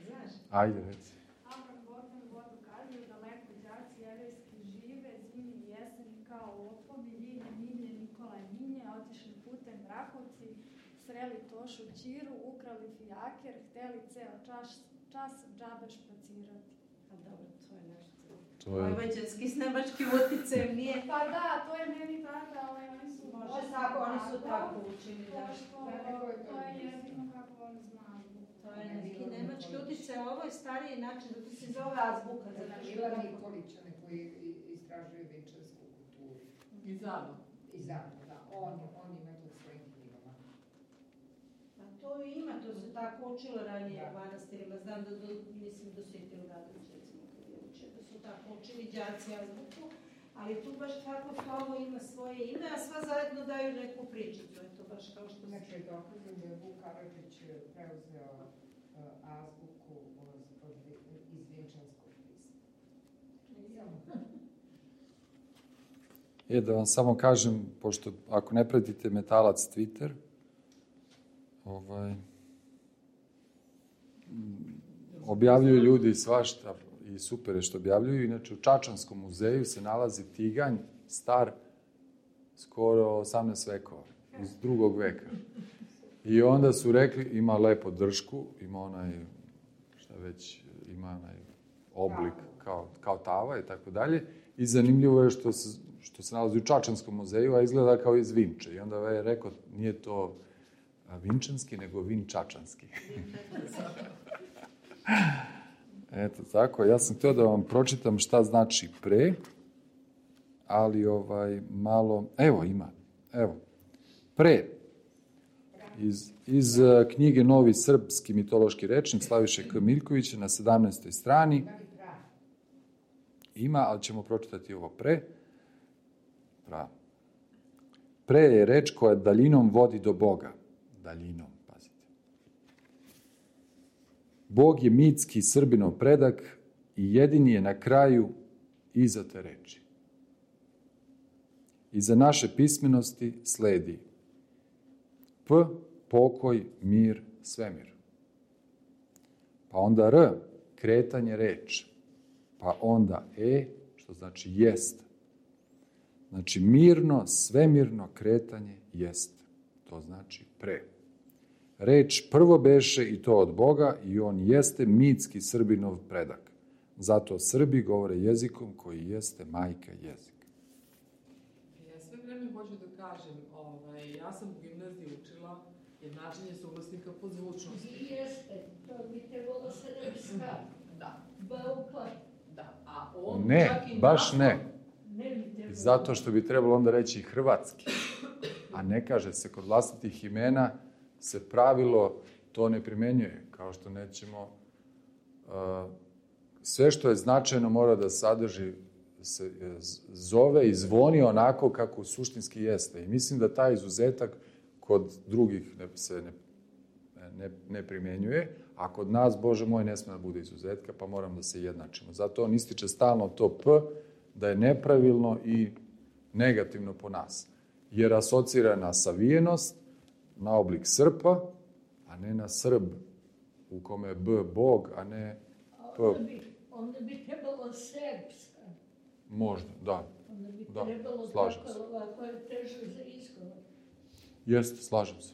Znaš?
Ajde, reci.
Avram Bogdan vodu kazuje, daleko đaci jevrejski žive, zimi i jeseni kao lopovi, Ljilje, Milje, Nikola i Minje, otišli putem Rakovci, sreli Tošu Ćiru, ukrali fijaker, hteli ceo čas džabe špacirati.
A dobro, to je nešto.
To je...
Vojvođanski s nemačkim uticajem nije.
Pa da, to je meni tada, oni su...
Može tako, oni su tako učili, da.
To je jedino kako oni znaju.
To je neki nemački uticaj, ovo je stariji način, zato se zove azbuka.
Ila Nikolića, koji istražuje večersku kulturu.
I Zano.
I Zano, da. On ima to u svojim knjigama.
A to ima, to se tako učilo ranije u manastirima. Znam da, mislim, do Sveti Radović, recimo, kad je učio, da su tako učili đaci azbuku, ali tu baš svako slovo ima svoje ime, a sva zajedno daju neku pričicu. Je to baš kao što se...
Znači, dokazam da je Vuk Karadžić preuzeo azbuku iz Vinčanskog pisma.
Da vam samo kažem, pošto ako ne pratite Metalac Twitter, objavljuju ljudi svašta i super je što objavljuju. Inače, u Čačanskom muzeju se nalazi tiganj star skoro 18 vekova, iz 2. veka. I onda su rekli, ima lepo dršku, ima onaj, šta već, ima onaj oblik kao tava i tako dalje. I zanimljivo je što se nalazi u Čačanskom muzeju, a izgleda kao iz Vinče. I onda je rekao, nije to vinčanski, nego vinčačanski. Eto, tako. Ja sam htio da vam pročitam šta znači pre, ali malo... Evo, ima. Evo. Pre. Iz knjige Novi srpski mitološki rečnik Slaviše K. Miljkovića na 17. strani. Ima, ali ćemo pročitati ovo pre. Pre je reč koja daljinom vodi do Boga. Daljinom, pazite. Bog je mitski Srbinov predak i jedini je na kraju iza te reči. Iza naše pismenosti sledi P, pokoj, mir, svemir. Pa onda R, kretanje reč. Pa onda E, što znači jest. Znači mirno, svemirno kretanje jest. To znači pre. Reč prvo beše i to od Boga i on jeste mitski Srbinov predak. Zato Srbi govore jezikom koji jeste majka jezika.
Ja sve vreme hoću da kažem, ja sam u gimnaziji učila jednačenje suglasnika po zvučnosti.
I jeste, to bi trebalo srpska.
Da.
Baukla.
Da, a on
Ne,
čak i
baš
naslov-
ne. Zato što bi trebalo onda reći hrvatski. A ne kaže se, kod vlastitih imena se pravilo to ne primenjuje. Kao što nećemo... sve što je značajno mora da sadrži, se zove i zvoni onako kako suštinski jeste. I mislim da taj izuzetak kod drugih se ne primenjuje, a kod nas, Bože moj, ne sme da bude izuzetka, pa moram da se jednačimo. Zato on ističe stalno to P, da je nepravilno i negativno po nas. Jer asocira na savijenost, na oblik srpa, a ne na Srb, u kome je B Bog, a ne P.
Onda bi trebalo srpska.
Možda, da.
Onda bi
Da,
trebalo
slažem
tako,
se.
ovako je teže za izgovor.
Jeste, slažem se.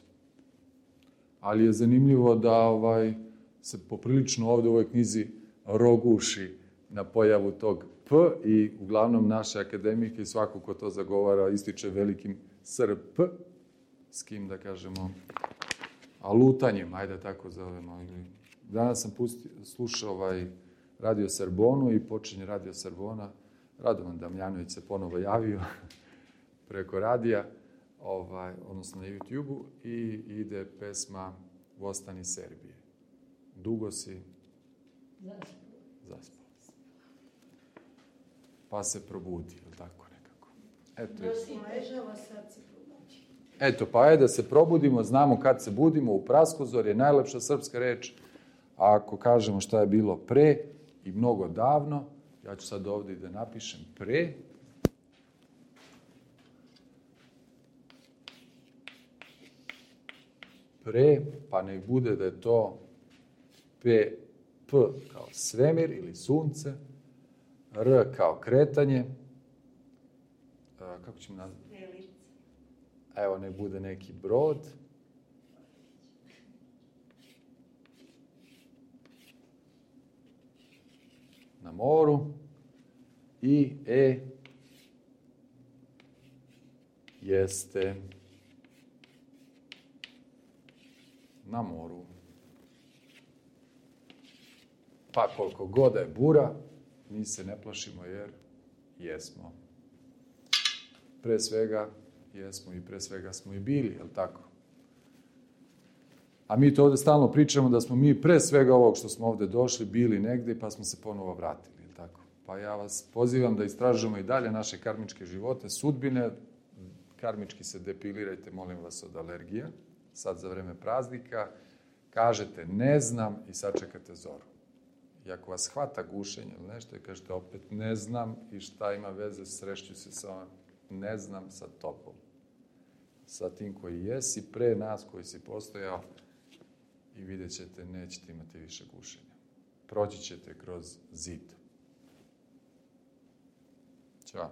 Ali je zanimljivo da se poprilično ovde u ovoj knjizi roguši na pojavu tog P i uglavnom naše akademike i svako ko to zagovara ističe velikim SRP, s kim da kažemo alutanjem, ajde tako zovemo. Danas sam slušao Radio Sorbonu i počinje Radio Sorbona. Radovan Damjanović se ponovo javio preko radija, odnosno na YouTube-u, i ide pesma Vostani Serbije. Dugo si zaspao. Pa se probudi, ili tako nekako.
Ležava, sad se probudi.
Eto, pa je da se probudimo, znamo kad se budimo, u praskozor je najlepša srpska reč, a ako kažemo šta je bilo pre i mnogo davno, ja ću sad ovdje da napišem pre, pa nek bude da je to P kao svemir ili sunce, R kao kretanje, kako ćemo nazvati? Evo, nek bude neki brod, na moru, i E jeste na moru. Pa koliko god da je bura, mi se ne plašimo jer jesmo. Pre svega jesmo i pre svega smo i bili, je li tako? A mi to ovde stalno pričamo da smo mi pre svega ovog što smo ovde došli bili negde pa smo se ponovo vratili, je li tako? Pa ja vas pozivam da istražujemo i dalje naše karmičke živote, sudbine. Karmički se depilirajte, molim vas, od alergija. Sad za vreme praznika kažete ne znam i sačekate zoru. I ako vas hvata gušenje ili nešto i kažete opet ne znam i šta ima veze, srešću se sa ne znam sa tobom. Sa tim koji jesi, pre nas koji si postojao, i vidjet ćete, nećete imati više gušenja. Proći ćete kroz zid. Ćao.